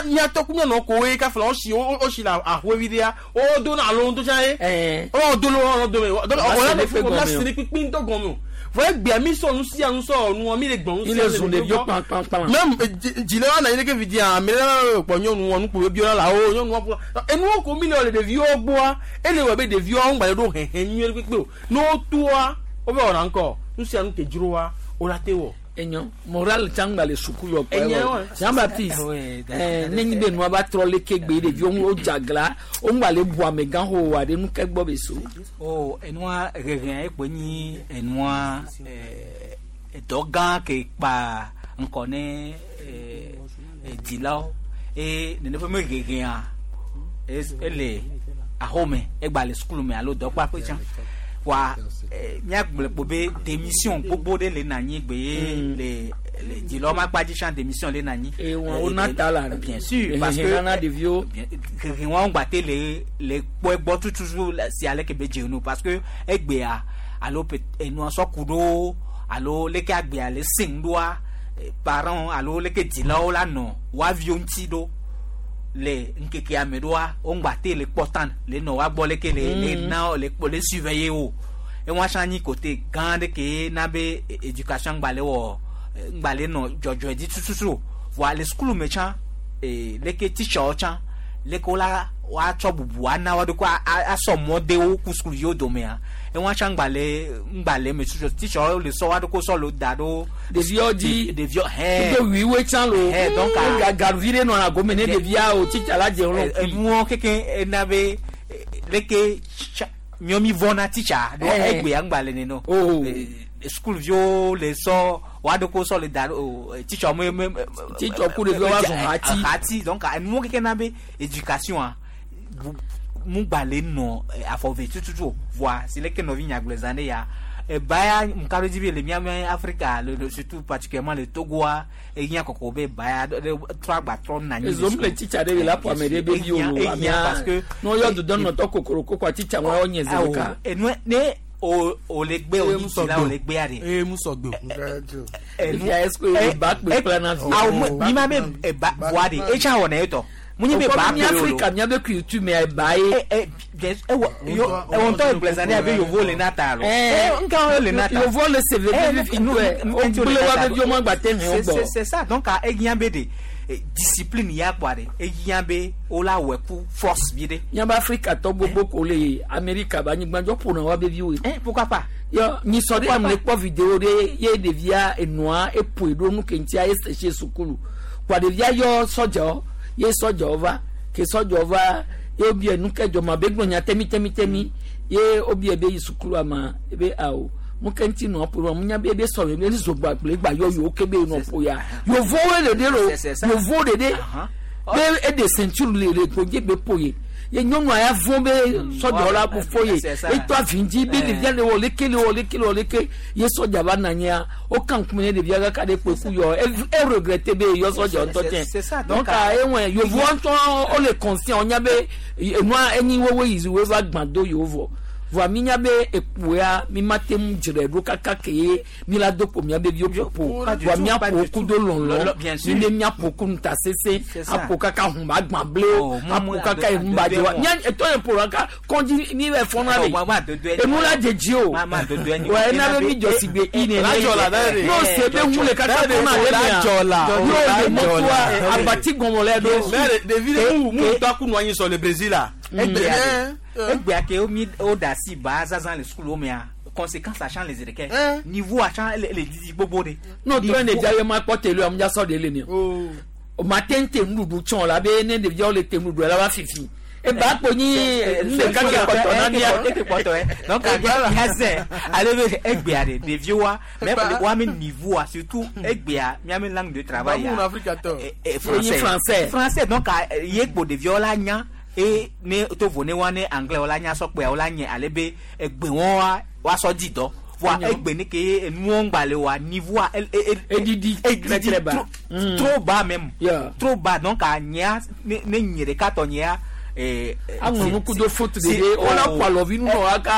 miatɔ ku mianɔ ko ye kafla wosi wosi le ahoevi ɖea wo do na alo ŋutɔ tsã ye wo do le wo dome o la se ne kpikpi ŋutɔ gɔme o. Vɔ egbea mi sɔ nu sia nu sɔ nua mi le gbɔn nu sia nu. Mi le zun ɖeviwo kpankpankpan. Même dzila wa na yi ɖeke vidzia ame ɖe kpɔ nyɔnu nu kpo biɔ la wo nyɔnu wa enuwo ko mi le le ɖeviwo gbɔa ele wɔ be ɖeviwo ŋgba le ɖo hɛhɛ nyuie kpekpe o ne wo toa wo be wɔna ŋkɔ nu sia nu ke dzroa wo la te wɔ. Enyo moral tsã ŋgba le suku yɔ kpɔ yɔ Jean Baptiste ne nyi be nua va trɔ leke gbe ɖeviwo wo dzagla wo ŋgba le bu amegã ho wa ɖe nu ke gbɔ be so. O enua hehe ekpe nyi enua dɔ gã ke kpa ŋkɔ ne dzilawo eye nene ƒe me hehea ele axome egba le sukulu me alo dɔkpaƒe tsã. Wa miagblɔ kpo be démission gbogbo ɖe le na anyi gbe ye le le dzilawo ma kpa dzi tsã démission le na anyi. Ewa na ta la. Bien sûr parce que nana ɖeviwo. Hehe wɔn gba te le le kpɔ egbɔ tututu si ale ke be dze nu parce que egbea alo enua sɔ ku ɖo alo leke agbea le sẽŋ ɖoa parents alo leke dzilawo la nɔ woaviwo ŋuti ɖo le ŋkekea me ɖoa wo ŋgba te le kpɔ tan le nɔ woagbɔ leke le le na le kpɔ le surveiller wo. Ewa tsã nyi côté gã ɖe ke na be éducation ŋgba le wɔ ŋgba le nɔ dzɔdzɔe dzi tututu o. Voa le sukulu me tsã leke teacherwo tsã leke wola woatsɔ bubu ana wo ɖokui asɔ mɔ de wo ku sukuviwo domea ewa tsã ŋgba le ŋgba le eme tututu teacherwo le sɔ wa ɖokui sɔ le da ɖo Ɖeviwo dzi. Ɖeviwo hɛn Kudo wiwe tsã lo. Hɛn donc Gavi ɖe nɔna gome ne ɖevia o teacher la dze ŋlɔ kui. Enuwo keke ena be leke miɔ mi vɔna teacher ɖo egbea ŋgba le nene o. Sukuviwo le sɔ wa ɖokui sɔ le da ɖo o teacher me me Teacher ku ɖeviwo va zɔn hati. Hati donc enuwo keke na be éducation a mu gba le nɔ afɔve tututu o. Voa si leke nɔvi nyagblɔ zã ɖe ya eba ya ŋka ɖe dzi be le miame Afrika le surtout particulièrement le Togoa ehiã kɔkɔ be ba ya ɖe trɔ agba trɔ na anyi. Ezom le teacher ɖe la ƒo ame ɖe be vi o Ehiã lo ehiã amea parce que ne woyɔ dodɔnɔtɔ kokoroko kɔa teacher ŋua wonye zi Awo, ɖeka. Enue ne o o le gbe o Eye nyi mu dzila sɔgbe o le gbea ɖe. Eye mu sɔgbe o. Fifia est-ce que eba kpe kpla na vi? Awo mi ma be eba voa de etsa wɔ na etɔ. Mu nyi be ba Mi kpe o lo. Afrika miabe culture mea eba ye. Ewɔ ewɔ ŋutɔ egblẽ zã ɖe abe yovo le na ta lo. Nka wo le na ta. Yovo le se veve fifi ŋutɔe. Wogblẽ woabe viwo ma gba te hɛn wo gbɔ. C'est ça donc ehiã be de discipline ya kpɔa de ehiã be wola wɔ ku force bi de. Miabe Afrikatɔ gbogbo ko le Amerika be anyigba dzi woƒona woabe viwoe. Pourquoi pas? Yɔ nyisɔ ɖe ame le kpɔ vidéo ɖe ye ɖevia enɔa eƒoe ɖo nu ke ŋutia ese sukulu. Kɔa ɖevia yɔ sɔdzawo ye sɔdzawo va ke sɔdzawo va ye wobia nu ke dzɔ ma be gblɔ nya temi temi temi ye wobia be yi sukulu ama ebe awo nu ke ŋuti nɔ ƒo mu nya be ebe sɔ be zogba kple gba yɔ yewo ke be nɔ ƒo ya yovowo le ɖe lo yovowo ɖe ɖe be eɖe ceinture le le gbodze be ƒo ye ye nyɔnua ya vɔn be sɔdzawo la ko fɔ ye etɔ avi dzi be ɖevia le wɔ leke le wɔ leke le wɔ leke ye sɔdza va na nyia wo kan ŋkume ne ɖevia kaka ɖe kpe ku yɔ e regrette be yɔ sɔdza ŋutɔ C'est tsɛ ça, donc donc, ewɔn yovowo ŋutɔ wo le conscient wo nya be enua enyi wowo yi wo va gbã do yewo vɔ voa mi nya be ekpoa mi ma te ŋu dzre ɖo kaka ke ye mi la do kpo miabe viwo ƒoƒo Pas du voa tout, mia pas ƒo du ku tout. do lɔlɔ Lɔlɔ, bien sûr. mi be mia ƒo ku ŋutasese C'est ça. aƒo kaka hun ba gbã blewo Oh, aƒo mu- kaka ado- ehun ba dze wa adodoe mia etɔ yɛ ƒo kaka kɔndzi mi bɛ fɔna Oh, le ma- ma adodoe nyi. enu la dze dzi o Ma- ma adodoe nyi. wa ena be mi dzɔ si gbe i nene n'o se be hun le kaka kɔna le mea y'o le mɔtoa abati gɔmɔ lɛ ɖo. Mais ɖevi ɖe mu mu ŋutɔ ku nɔ anyi sɔ le Brésil la. Egbea de egbea ke wo mi wo da asi ba zazã le sukulu mea conséquence atsã le zi ɖeke niveau atsã le le didi gbogbo de. n'o tɔ ne ɖevia ye ma kpɔ tele amu dza sɔ de le ne o ma te ŋu te nuɖuɖu tsɔn la be ne ɖeviawo le te nuɖuɖu la va fifi eba kpo nyi nu ɖeka ke kpɔtɔ na mia. Eke kpɔtɔ yɛ donc miazɛ ale be egbea de ɖeviwoa mais woame niveaua surtout egbea miame langue de travail Ba mu ya na Afrika tɔ. Enyi français. Français donc ye kpo ɖeviwo la nya e ne to vo ne wa ne anglais wo la nya sɔkpea wo la nye ale be egbe wɔn wa wa sɔ di dɔ voa Enyo. egbe ne ke ye enuwo ŋgba le wa niveaua Edidi edidi très bas. trop Mm. trop bas même Yeah. trop bas donc a nyea ne ne nye ɖeka tɔ nyea aŋlɔ nu kudo faute de ɖe wola ƒo alɔvinu nɔ aka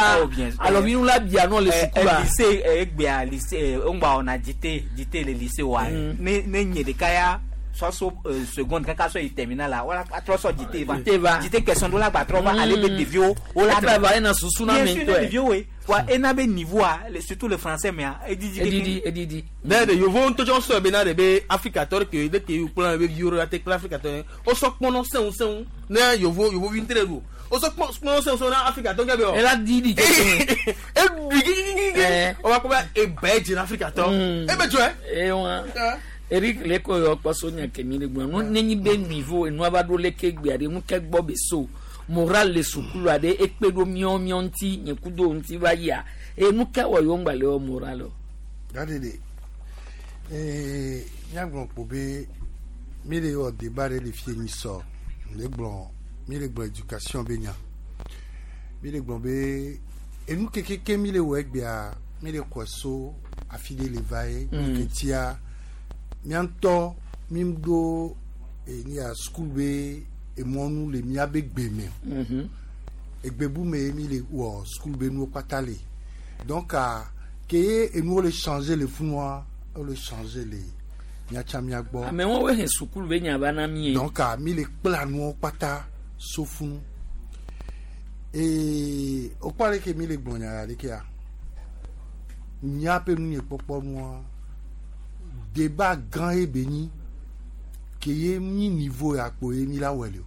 alɔvinu la bia nɔ le sukua. Lycée egbea lycée ŋgba wɔna dite dite le lycée wa ne ne nye ɖeka ya sɔ so seconde kaka sɔ yi terminal la wala atrɔ sɔ dite va Dite va. dite question ɖo la gba trɔ va ale be ɖeviwo wo la Etravailler na susu na bien ame sûr ŋutɔe. ne ɖeviwo woe wa ena be niveau a surtout le français mea edidi Edidi edidi. Ne de yovo ŋutɔ tsɔ sɔ bena de be Afrikatɔ ɖe ke ɖe ke kplɔ be viwo ɖe ate kple Afrikatɔ ye wosɔ kpɔnɔ sẽŋu sẽŋu ne yovo yovovi ŋutɔ ɖe ɖu wosɔ kpɔ kpɔnɔ sẽŋu sẽŋu na Afrikatɔ ke be ɔ. Ela didi. Eɖui gigigigi wova kpɔ be ebe dze na Afrikatɔ ebe dzɔe. Ewa Eric le ko yɔ kpɔ so nya kemi le gblɔ nu nenyi be niveau enua va ɖo leke gbea ɖe nu ke gbɔ be so moral le sukulu aɖe ekpe ɖo miɔ miɔ ŋuti nye kudo ŋuti va yia eye nu ke wɔ yewo ŋgba le wɔ moral o. Gade de míagblɔ kpo be mi le wɔ débat ɖe le fie nyi sɔ le gblɔ mi le gblɔ éducation be nya mi le gblɔ be enu kekeke mi le wɔ egbea mi le xɔe so afi ɖe le va ye ke tia mía ŋutɔ mi ɖo eni ya sukulu be emɔnu le míabe gbe me egbebu me ye mi le wɔ sukulu be nuwo kpata le donc ke ye enuwo le changer le funua wo le changer le miatsa mia gbɔ. Ame wɔn wo he sukulu be nya va na mi ye. Donc mi le kpla nuwo kpata so funu ee wokpɔ ale ke mi le gblɔ nya ya ɖekea Míaƒe nunyekpɔkpɔ nua, débat gã ye be nyi ke ye nyi niveau ya kpo ye mi la wɔe le o.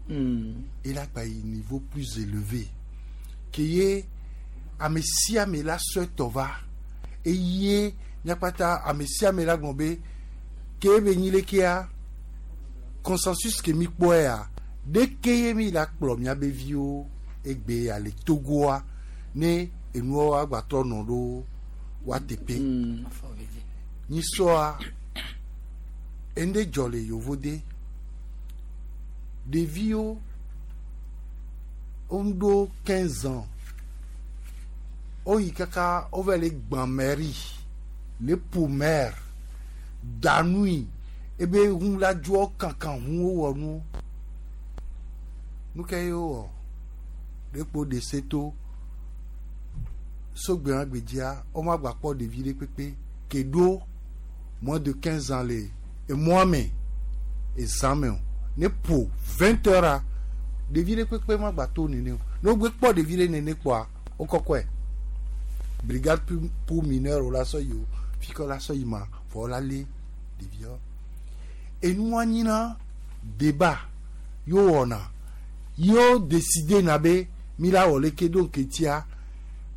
Ela gba yi niveau plus élevé ke ye ame sia ame la sɔe tɔ va eye míakpata ame sia ame la gblɔ be ke be nyi lekea consensus ke mi kpɔe ya ɖeke ye mi la kplɔ míabe viwo egbe ya le Togoa ne enuwo agbatrɔ nɔ ɖo wa teƒe. Nyisɔa ende dzɔ le yovode ɖeviwo woɖo 15 ans woyi kaka wova le gbã mairie le ƒo maire danui ebe ŋu la dzoa kankan ŋu wowɔ nuwo nu ke ye wowɔ ɖekpo ɖe se to sogbe gbedzia womagba kpɔ ɖevi ɖe kpekpe ke ɖo moins de 15 ans le emɔa me ezã me o ne ƒo 20 heures a ɖevi ɖe kpekpe magba to nene o ne wogbe kpɔ ɖevi ɖe nene kpɔa wokɔkɔe brigade pour mineur wo la sɔ yi o fi ke la sɔ yi ma vɔ wo la lé ɖeviawo enua nyina débat yo wɔna yo décider na be mi la wɔ leke ɖo ŋketia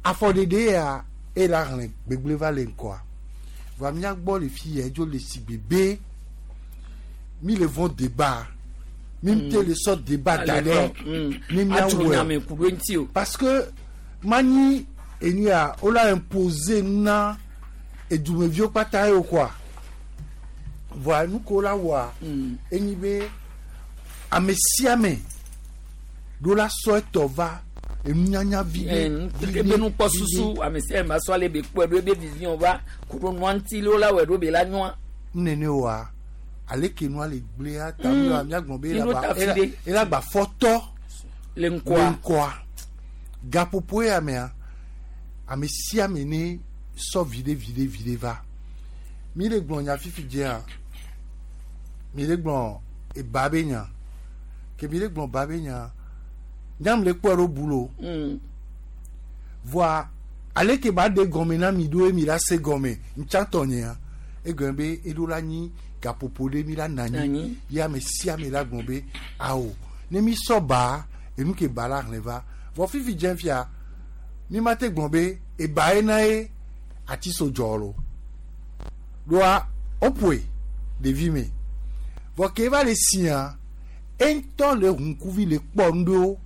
afɔɖeɖe ya ela hlẽ gbegble va le ŋkɔa va mía gbɔ le fi yɛ dzo le si bebe mi le vɔn débat mi te le sɔ débat da ɖe ne mía Atso nyame wɔe ku ɖo ŋuti o. parce que manyi enu ya wola imposer na edumeviwo kpata ye o quoi voa nu ko la wɔa enyi be ame sia ame ɖo la sɔ etɔ va enunyanya vi ɖe ebe nukpɔsusu ame sia ame asɔ ale be kpɔe ɖo ebe vision va ku ɖo nua ŋuti le wo la wɔe ɖo be la nyɔa. nene wa ale ke nua le gblẽa ta mi míagblɔ be Mi ɖo ta fi ɖe. ela gba fɔtɔ le ŋkɔa. Le ŋkɔa gaƒoƒo ya mea ame sia ame ne sɔ viɖe viɖe viɖe va mi le gblɔ nya fifi dzea mi le gblɔ eba be nya ke mi le gblɔ ba be nya nyam le kpɔe ɖo bu lo voa ale ke ba ɖe gɔme na mi ɖo ye mi la se gɔme ŋtsatɔ nyea egɔme be eɖo la nyi gaƒoƒo ɖe mi la na anyi Nanyi. ye ame sia ame la gblɔ be awo ne mi sɔ ba enu ke ba la hlẽ va vɔ fifi dze fia mi ma te gblɔ be eba ye na ye ati so dzɔ lo ɖoa woƒoe ɖevi me vɔ ke va le sia eŋutɔ le ŋkuvi le kpɔ nu ɖewo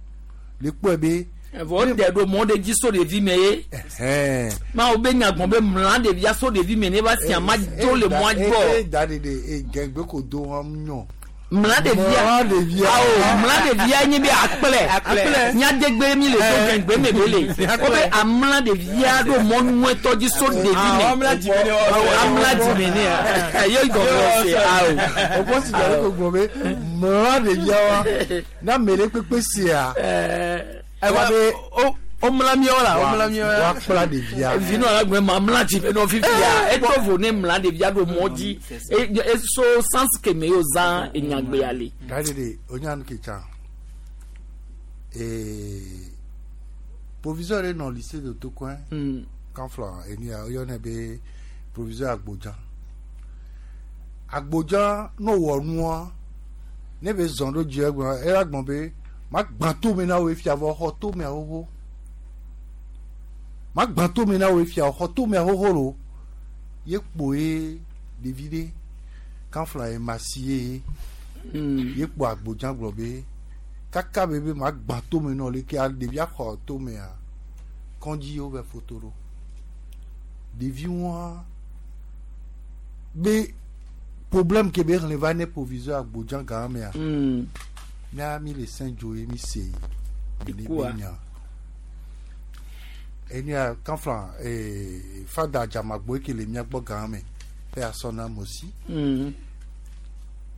le kpɔe be Evɔ wote ɖo mɔ ɖe dzi so ɖevi me ye. ɛhɛn. Mawo be nya gbɔn be mla ɖevia so ɖevi me ne va sia ma dzo le mɔa E gbɔ. da ɖeɖe e gɛgbɛ ko do wɔm nyɔ. Mla ɖevia. Mla ɖevia. Awo mla ɖevia nye be akplɛ. Akplɛ. Nyadegbe mi le so gɛgbɛ me be le. Wo be amla ɖevia ɖo mɔ nyuietɔ dzi so ɖevi me. Ah, amla dzime ne Awo wɔsɛ. amla dzime ne ya. Ye gɔme wɔsɛ awo. O kɔ si dza ko gblɔ be mla ɖevia wa na ame ɖe kpekpe sia. Ɛwà be o mla miawo la o mla miawo la. Wa kpla ɖevia. Vinu ala gbɛ ma mla dzime nɔ fifia. Eto vo ne mla ɖevia ɖo mɔ dzi. E so sans keme yio zã enyagbea le. Da ɖeɖe o nya nu ke tsã. Ee proviseur ɖe nɔ lycée de Tokoin. Kanflɔ enu ya woyɔnɛ be proviseur Agbodza. Agbodza no wɔ nua ne be zɔn ɖo dzi egblɔ ela gblɔ be ma gbã tome na wo efia vɔ xɔ tomea xoxo ma gbã tome na wo efia xɔ tomea xoxo lo ye kpo ye ɖevi ɖe kanflɔ ye masi ye ye kpo Agbodza gblɔ be kaka be be ma gbã tome nɔ leke ɖevia xɔ tomea kɔndzi wo be foto ɖo ɖevi wa be problème ke be xlẽ va ne proviseur Agbodza gã mea mía mi le saint dzo ye mi se mi ne Ikua. be nya enia kanfla ee fada dzamagbo ke le mía gbɔ gã me pe asɔ na mosi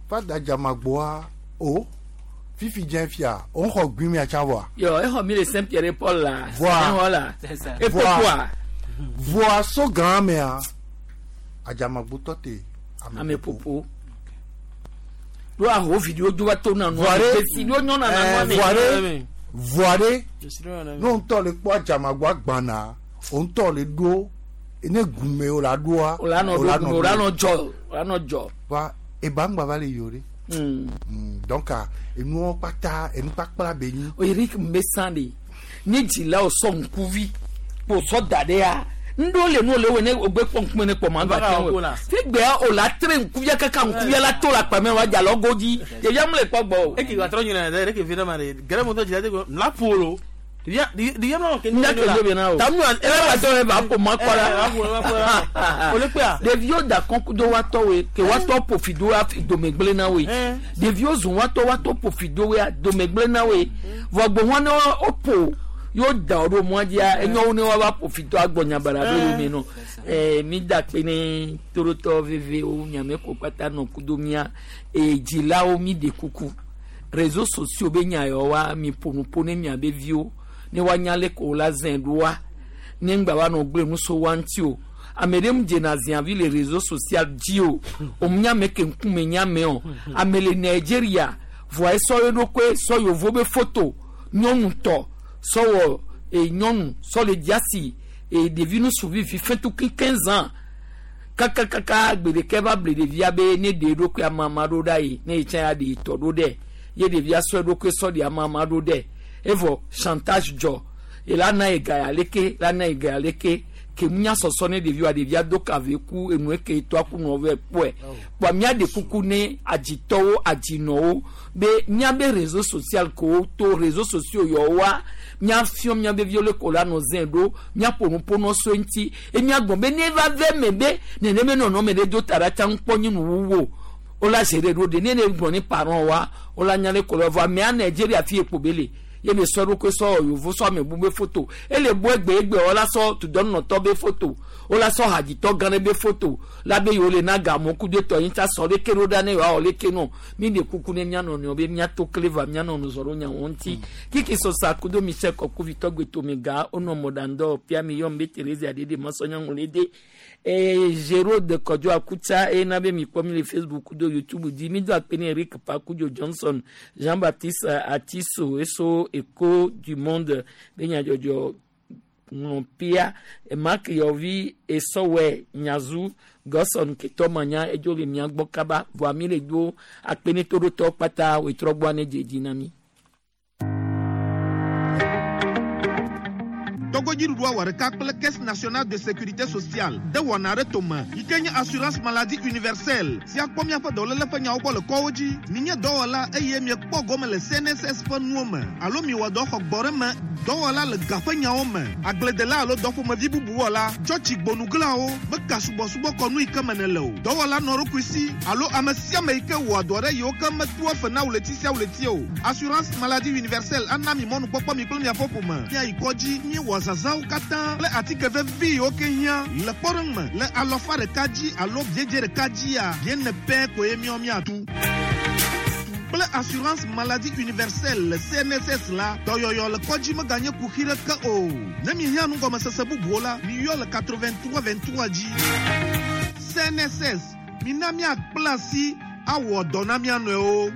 fada dzamagboa o fifi dze fia o xɔ gbin mia tsã vɔa. Yɔ exɔ mi le Saint Pierre et Paul la. Voa. Exɔ la. Epopoa. Voa so gã mea adzamagbo tɔ te Ame popo. Ɖo aho video dzo va to na nua. Voa ɖe Esi ɖo nyɔna na nua me. voa ɖe voa ɖe ne ŋutɔ le kpɔ adzamagboa gbana o ŋutɔ le ɖo Ne gume o la ɖoa. O la nɔ ɖo gume, o la nɔ dzɔ, o la nɔ dzɔ. Va eba ŋgba va le yi o ɖe. Donc enuwo kpata enu kpakpla be nyi. O Eric mbe san de ne dzilawo sɔ ŋkuvi kpo sɔ da ɖe ya ŋɖewo le nu le wɔ ne ogbe kpɔ ŋkume ne kpɔ ma gba te wɔ figbea o la tre ŋkuvia kaka ŋkuvia la to le akpa me wa dza le go dzi ɖevia mu le kpɔ gbɔ o. Eke gba trɔ nyina ɖe ɖeke vi ɖe ma ɖe gɛrɛ mɔtɔ dzila de ko la ƒo lo. Ɖevia ɖevia mlɔ ke Nya ke do bena o. Tamu Ebe ba tɔ eba ƒo ma kpɔ la. O le kpea. Ɖeviwo da kɔn do wa tɔwoe ke wa tɔ ƒo fi do hafi dome gblẽ na woe. Ɖeviwo zɔn wa tɔ wa tɔ ƒo fi do woea dome gblẽ na woe. Vɔ gbɔhɔn ne wo ƒo yewo da wo ɖo mɔa dzia enyo ne wa va ƒo fi do agbɔ nyabara ɖo yome nɔ. Mi da kpe ne toɖotɔ vevewo nyame ko kpata nɔ kudo mía dzilawo mi ɖe kuku. Réseaux sociaux be nya yawo wa mi ƒo nu ƒo ne miabe viwo ne woanya le ko la zẽ ɖoa ne ŋgba va nɔ gblẽ nu so wa ŋuti o. Ame ɖe mu dzena ziavi le réseau social dzi o. Omu ame ke ŋkume nye ame o. Ame le Nigeria vɔa esɔ ye ɖokoe sɔ yevo be foto nyɔnu tɔ sɔ wɔ nyɔnu sɔ le diasi ɖevi nusuvi vi fɛntukui 15 ans kakakaka gbe ɖeke va ble ɖevia be ne ɖe eɖokoe amama ɖo ɖa yi ne yi tsã ya ɖe tɔ ɖo ɖe ye ɖevia sɔ eɖokoe sɔ ɖe amama ɖo ɖe evɔ chantage dzɔ ela na ye ga ya leke la na ye ga ya leke ke nya sɔsɔ ne ɖeviwoa ɖevia do kave ku enu eke tɔ aku nɔ vɛ kpɔe kpɔa mía ɖe kuku ne adzitɔwo adzinɔwo be míabe réseau social ko to réseau sociaux yɔwoa míafiɔ míabe viwo le ko la nɔ zẽ ɖo míaƒo nu ƒo nɔ so ŋuti eye míagblɔ be ne va ve me be neneme nɔnɔme ɖe do ta ɖa tsã ŋkpɔ nye nuwuwu o wola zi ɖe ɖo ɖe ne ne gblɔ ne parent wa wola nya le ko la vɔ amea Nigeria fi ekpo be le ye le sɔ ɖokui sɔ yovo sɔ ame bu be foto ele bu egbe egbe wola sɔ tudɔnɔtɔ be foto wola sɔ hadzitɔ gã ɖe be foto la be yewo le na gamɔ ku de tɔ yi tsa sɔ leke ɖo ɖa ne yewoawɔ leke nɔ mi ɖe kuku ne mía nɔnɔewo be míato kle va mía nɔ nuzɔ ɖo nyawo ŋuti kiki sɔsa kudo Michel Kɔkuvi tɔgbe tome ga wonɔ mɔɖaŋdɔ pia mi yɔm be Therese ɖeɖe masɔnyɔŋu le de Géraud Kɔdzo Akutsa eye na be mi kpɔ mi le Facebook kudo YouTube dzi mi do akpe ne Eric Pakudzo Johnson Jean Baptiste Atiso eso Echo du Monde be nyadzɔdzɔ ŋlɔ pia Mark Yɔvi esɔwɛ Nyazu Gɔsɔn ketɔ manya edzo le mia gbɔ kaba vɔa mi le do akpe ne toɖotɔ kpata wetrɔ gbɔa ne dze dzi na mi. Togodziɖuɖua wɔ ɖeka kple Caisse nationale de sécurité sociale de wɔna ɖe tome yi ke nye assurance maladie universelle si akpɔ míaƒe dɔléle ƒe nyawo gbɔ le kɔwo dzi. Minye dɔwɔla eye miekpɔ gome le CNSS ƒe nuwo me alo miwɔ dɔ xɔ gbɔ ɖe me dɔwɔla le ga ƒe nyawo me agbledela alo dɔƒomevi bubu wɔla tsɔtsi gbonuglawo meka subɔsubɔ kɔnu yi ke me nele o dɔwɔla nɔ ɖokui si alo ame sia ame yi ke wɔa dɔ ɖe yiwo ke metua fe na ɣleti sia ɣleti o. Assurance maladie universelle ana mi mɔnukpɔkpɔ mi kple miaƒe ƒome miayi kɔdzi miewɔ zazãwo katã kple atike vevi yiwo ke hiã le kpɔɖeŋu me le alɔfa ɖeka dzi alo biedze ɖeka dzia biene pɛ koe míawo míatu. Kple assurance maladie universelle le CNSS la dɔyɔyɔ le kɔdzi meganye kuxi ɖeke o. Ne mihiã nugɔmesese bubuwo la miyɔ le 83 23 dzi. CNSS mina míakpla asi awɔ dɔ na mía nɔewo.